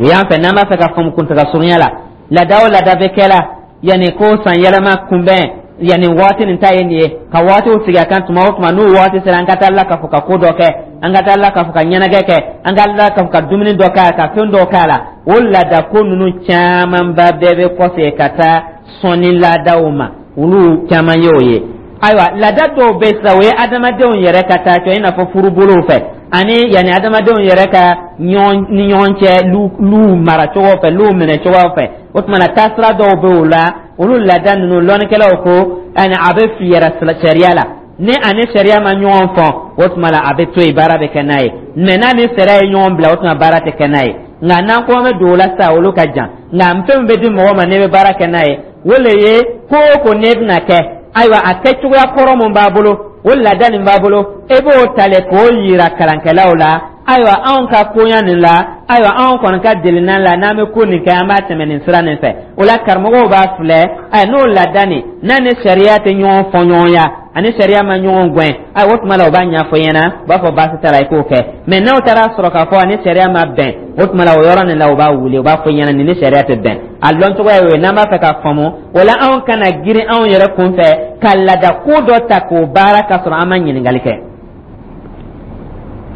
o y'an fɛ. N'an b'a fɛ ka faamu kuntaga surunya la, laada o laada bɛ kɛ la yanni ko san yɛlɛma kunbɛn, yanni waati nin ta ye nin ye, ka waatiw sigi a kan, tuma o tuma n'o waati sera, an ka taa la k'a fɔ ka ko dɔ kɛ, an ka taa la k'a fɔ ka ɲɛnajɛ kɛ, an ka la k'a fɔ ka dumuni dɔ k'a la, ka fɛn dɔ k'a la, o laada ko ninnu camanba bɛɛ bɛ kɔfɛ ka taa sɔnni laadaw ma. Olu caman ye o ye. Ayiwa, laada dɔw bɛ sisan, o ye adamadenw yɛrɛ ka taa cɔ, i n'a fɔ furubolow fɛ, ani yanni adamadenw yɛrɛ ka ɲɔgɔn ni ɲɔgɔn cɛ, luw maracogo fɛ, luw minɛcogo fɛ. O tuma na, taasira dɔw bɛ o la. Olu laada ninnu, lɔnnikɛlaw ko ani a bɛ fiyɛrɛ sariya la. Ni ani sariya ma ɲɔgɔn fɔ, o tuma la a bɛ to yen, baara bɛ kɛ n'a ye. Mɛ n'a ni sariya ye ɲɔgɔn bila, o tuma baara tɛ kɛ n'a ye. Nka n'an ko an bɛ don o la sisan, olu ka jan. Nka fɛn min bɛ di mɔgɔ ma n'e bɛ baara kɛ n'a ye, o le ye ko o ko n'e bɛna kɛ, ayiwa, a kɛcogoya kɔrɔ mun b'a bolo, o laada nin b'a bolo, e b'o ta le k'o yira kalankɛlaw la. Ayiwa, anw ka koɲa nin la, ayiwa, anw kɔni ka delina la, n'an bɛ ko nin kɛ, an b'a tɛmɛ nin sira nin fɛ. O la, karamɔgɔw b'a filɛ, ayiwa, n'o laada nin n'a ni sariya tɛ ɲɔgɔn fɔ ɲɔgɔnya, ani sariya ma ɲɔgɔn gɛn, ayiwa, o tuma la u b'a ɲɛfɔ ɲɛna, u b'a fɔ baasi t'a la, i k'o kɛ. Mɛ n'aw taara sɔrɔ k'a fɔ ani sariya ma bɛn, o tuma la o yɔrɔ nin la u b'a wuli, u b'a fɔ ɲɛna nin ni sariya tɛ bɛn. A lɔn cogoya y'o ye. N'an b'a fɛ k'a faamu o la, anw kana girin anw yɛrɛ kun fɛ ka laada ko dɔ ta k'o baara ka sɔrɔ an ma ɲininkali kɛ.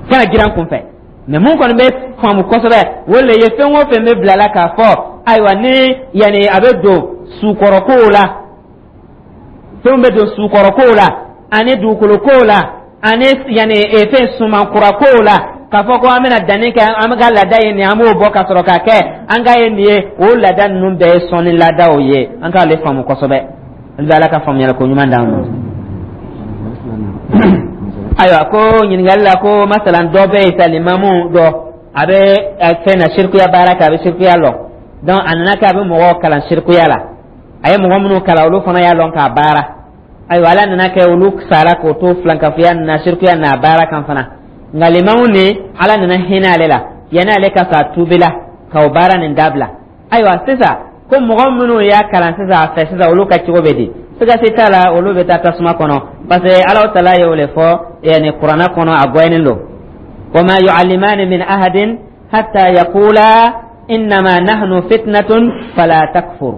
Kana girin an kun fɛ. Mɛ mun kɔni bɛ faamu kosɛbɛ, o le ye fɛn o fɛn bɛ bila la k'a fɔ, ayiwa, ni yanni a bɛ don sukɔrɔkow la, fɛnw bɛ don sukɔrɔkow la, ani dugukolokow la, ani yanni fɛn sumankurakow la, k'a fɔ ko an bɛna danni kɛ, an bɛ ka laada ye nin, an b'o bɔ ka sɔrɔ k'a kɛ an ka ye nin ye, o laada ninnu bɛɛ ye sɔnni laadaw ye. An k'ale faamu kosɛbɛ. An bɛ Ala ka faamuyali ko ɲuman d'an ma. Ayiwa, ko ɲininkali la, ko masalan dɔ bɛ yen sa, limamu dɔ, a bɛ fɛn na sirikuya baara kɛ, a bɛ sirikuya lɔ. Donc a nana kɛ a bɛ mɔgɔw kalan sirikuya la. A ye mɔgɔ minnu kalan, olu fana y'a lɔn k'a baara. Ayiwa, Ala nana kɛ olu sara k'o to filankafoya na, sirikuya n'a baara kan fana. Nka limamu ni Ala nana hinɛ ale la, yanni ale ka sa, tubila ka o baara nin dabila. Ayiwa, sisan ko mɔgɔ minnu y'a kalan sisan a fɛ sisan, olu ka cogo bɛ di? Siga si t'a la, olu bɛ taa tasuma kɔnɔ, parce que Ala tala ye o le fɔ yani Kuranɛ kɔnɔ, a gɔyɛnen don: wa ma yu'allimani min ahadin hatta yaqula innama nahnu fitnatun fala takfur.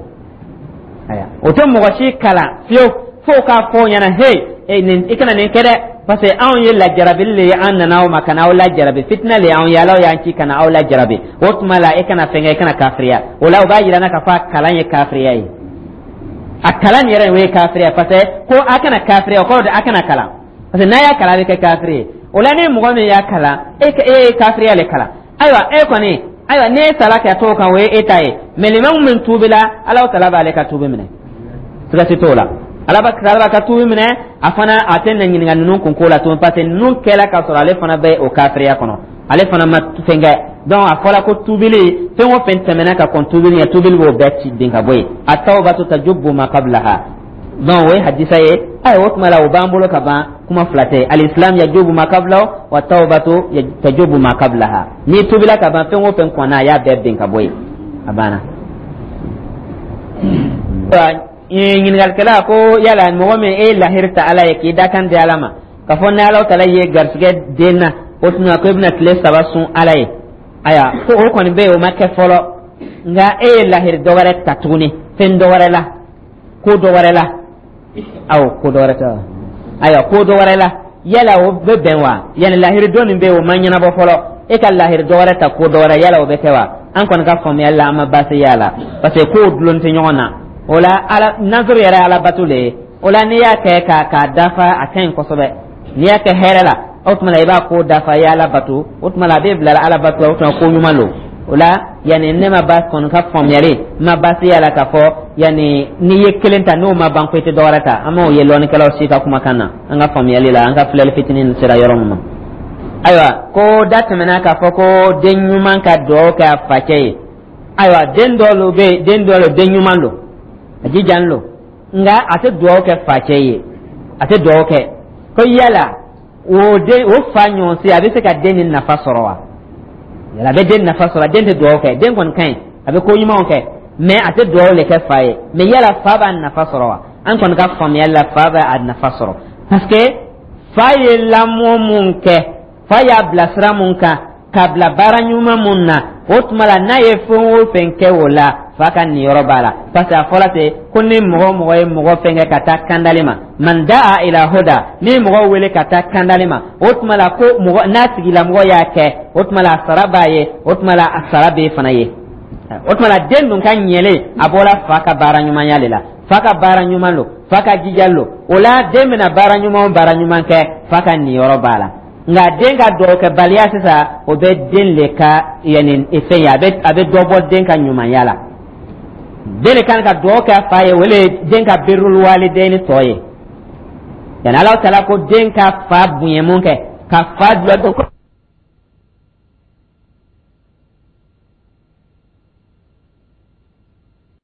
Aya, o tɛ mɔgɔ si kalan fiyewu fo k'a fɔ o ɲɛna: hey, nin i kana nin kɛ dɛ, parce que anw ye lajarabili le ye, an nana aw ma ka na aw lajarabi, fitina le y'anw ye, Ala y'an ci ka na aw lajarabi. O tuma la, e kana fɛn kɛ, e kana kafiriya. O la, o b'a yira n na k'a fɔ a kalan ye kafiriya ye. A kalan yɛrɛ, o ye kafiriya, parce que ko a kana kafiriya, o kɔrɔ de a kana kalan, parce que n'a y'a kalan, a bɛ kɛ kafiri ye. O la, ni mɔgɔ min y'a kalan, e ye kafiriya le kalan. Ayiwa, e kɔni, ayiwa, n'e sara ka t'o kan, o ye e ta ye. Mais limamu min tuubila, Alahu Taala b'ale ka tuubi minɛ, siga si t'o la. Ala b'a ka tuubi minɛ. A fana a tɛ na ɲininka ninnu kun ko la tuguni, parce que ninnu kɛla ka sɔrɔ ale fana bɛ o kafiriya kɔnɔ, ale fana ma fɛn kɛ. Donc a fɔra ko tuubili, fɛn o fɛn tɛmɛna ka kɔn tuubili ɲɛ, tuubili b'o bɛɛ ci bin ka bɔ yen. At-tawbatu tajubbu ma qablaha. Donc o ye hadisa ye. Ayiwa, o tuma la, o b'an bolo ka ban, kuma fila tɛ. Al-islam yajubu ma qablahu wa tawbatu tajubu ma qablaha. N'i tuubila ka ban, fɛn o fɛn kɔnna, a y'a bɛɛ bin ka bɔ yen, a banna. Ɲininkalikɛla ko yala mɔgɔ min e ye lahiri ta Ala ye, k'i dakan di Ala ma k'a fɔ ni Ala Taala ye garisɛgɛ den na, o tuma ko e bɛna tile 3 sun Ala ye. Ayiwa, ko o kɔni bɛ yen, o ma kɛ fɔlɔ, nka e ye lahiri dɔ wɛrɛ ta tuguni, fɛn dɔ wɛrɛ la, ko dɔ wɛrɛ la. Awɔ, ko dɔ wɛrɛ tɛ wa? Ayiwa, ko dɔ wɛrɛ la, yala o bɛ bɛn wa? Yani lahiri dɔ nin bɛ yen, o ma ɲɛnabɔ fɔlɔ, e ka lahiri dɔ wɛrɛ ta ko dɔ wɛrɛ, yala o bɛ kɛ wa? An kɔni ka faamuyali la, an ma baasi y'a la, parce que kow dulon tɛ ɲɔgɔn na. O la, Ala nazuru yɛrɛ ye Ala bato le ye. O la, n'i y'a kɛ k'a dafa, a ka ɲi kosɛbɛ. N'i y'a kɛ hɛrɛ la, o tuma la i b'a ko dafa, i ye Ala bato, o tuma la a bɛ bila Ala bato la, o tuma ko ɲuman don. O la, yanni ne ma ba kɔni ka faamuyali n ma baasi y'a la k'a fɔ yanni n'i ye kelen ta, n'o ma ban ko i tɛ dɔ wɛrɛ ta. An m'o ye lɔnnikɛlaw si ka kumakan na, an ka faamuyali la, an ka filɛli fitinin sera yɔrɔ min ma. Ayiwa, ko da tɛmɛna k'a fɔ ko den ɲuman ka dugawu kɛ a facɛ ye. Ayiwa, den dɔw bɛ yen, den dɔw den ɲuman don, a jijan lo, nka a tɛ dugawu kɛ facɛ ye, a tɛ dugawu kɛ. Ko yala o den, o fa ɲɔgɔn si, a bɛ se ka den ni nafa sɔrɔ wa? Yala a bɛ den nafa sɔrɔ? Den tɛ dugawu kɛ, den kɔni ka ɲi, a bɛ ko ɲumanw kɛ, mais a tɛ dugawu le kɛ fa ye. Mais yala fa b'a nafa sɔrɔ wa? An kɔni ka faamuyali la, fa bɛ a nafa sɔrɔ, parce que fa ye lamɔ mun kɛ, fa y'a bila sira mun kan, k'a bila baara ɲuman mun na, o tuma la n'a ye fɛn o fɛn kɛ o la, fa ka niyɔrɔ b'a la, parce que a fɔra ten ko ni mɔgɔ o mɔgɔ ye mɔgɔ fɛn kɛ ka taa kandali ma, man daa ila huda, ni mɔgɔ wele ka taa kandali ma, o tuma la ko mɔgɔ n'a tigilamɔgɔ y'a kɛ, o tuma la a sara b'a ye, o tuma la a sara b'e fana ye. O tuma la den dun ka ɲɛlen, a bɔra fa ka baara ɲumanya de la. Fa ka baara ɲuman lo, fa ka jija lo. O la den bɛna baara ɲuman o baara ɲuman kɛ, fa ka niyɔrɔ b'a la. Nka den ka dɔgɔkɛbaliya sisan, o bɛ den le ka yanni fɛn ye, a bɛ dɔ bɔ den ka ɲumanya la. Den de kan ka dugawu kɛ a fa ye, o le ye den ka birrul walidayni tɔ ye. Yani Ala Taala ko den ka fa bonya mun kɛ, ka fa dulɔ.